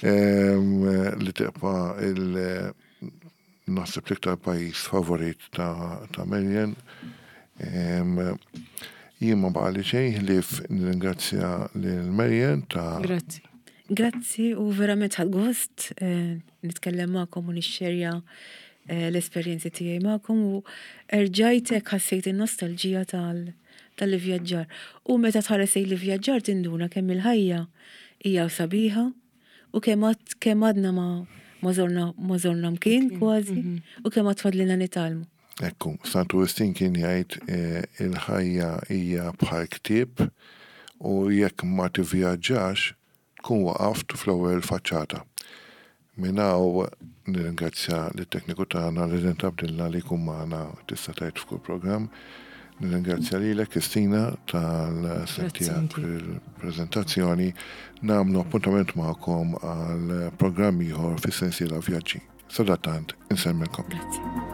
li tibqa' il- naħseb l-iktar pajjiż favorit ta' Marian. Jien ma baqali xejn ħlief nirringrazzja lil Marian ta' Grazzi. Grazzi u verament ħadt gost eh, nitkellem magħkom u nixxerja eh, l-esperjenzi tiegħi magħkom u erġajt hekk ħassejt in-nostalġija tal tal-ivvjaġġar. U meta tħares lejn l-ivvjaġġar tinduna kemm il-ħajja hija sabiħa U kemm għad kemm għadna ma ma żorna ma żorna mkien kważi u kemm għad fadlilna nitgħallmu. Ekku, Santu Wistin kien jgħid il-ħajja hija bħal ktieb u jekk ma tivvjaġġax tkun waqaft fl-ewwel faċċata. Minn hawn nirringrazzja lit-tekniku tagħna Resident Abdilla li jkun magħna tista' tgħid f'kull programm. Nirringrazzja lilek Kristina tal-sehem tiegħek fil-preżentazzjoni. Nagħmlu appuntament magħkom għal programm ieħor fis-sensiela Vjaġġi. Sadattant, insellmilkom. Grazzi.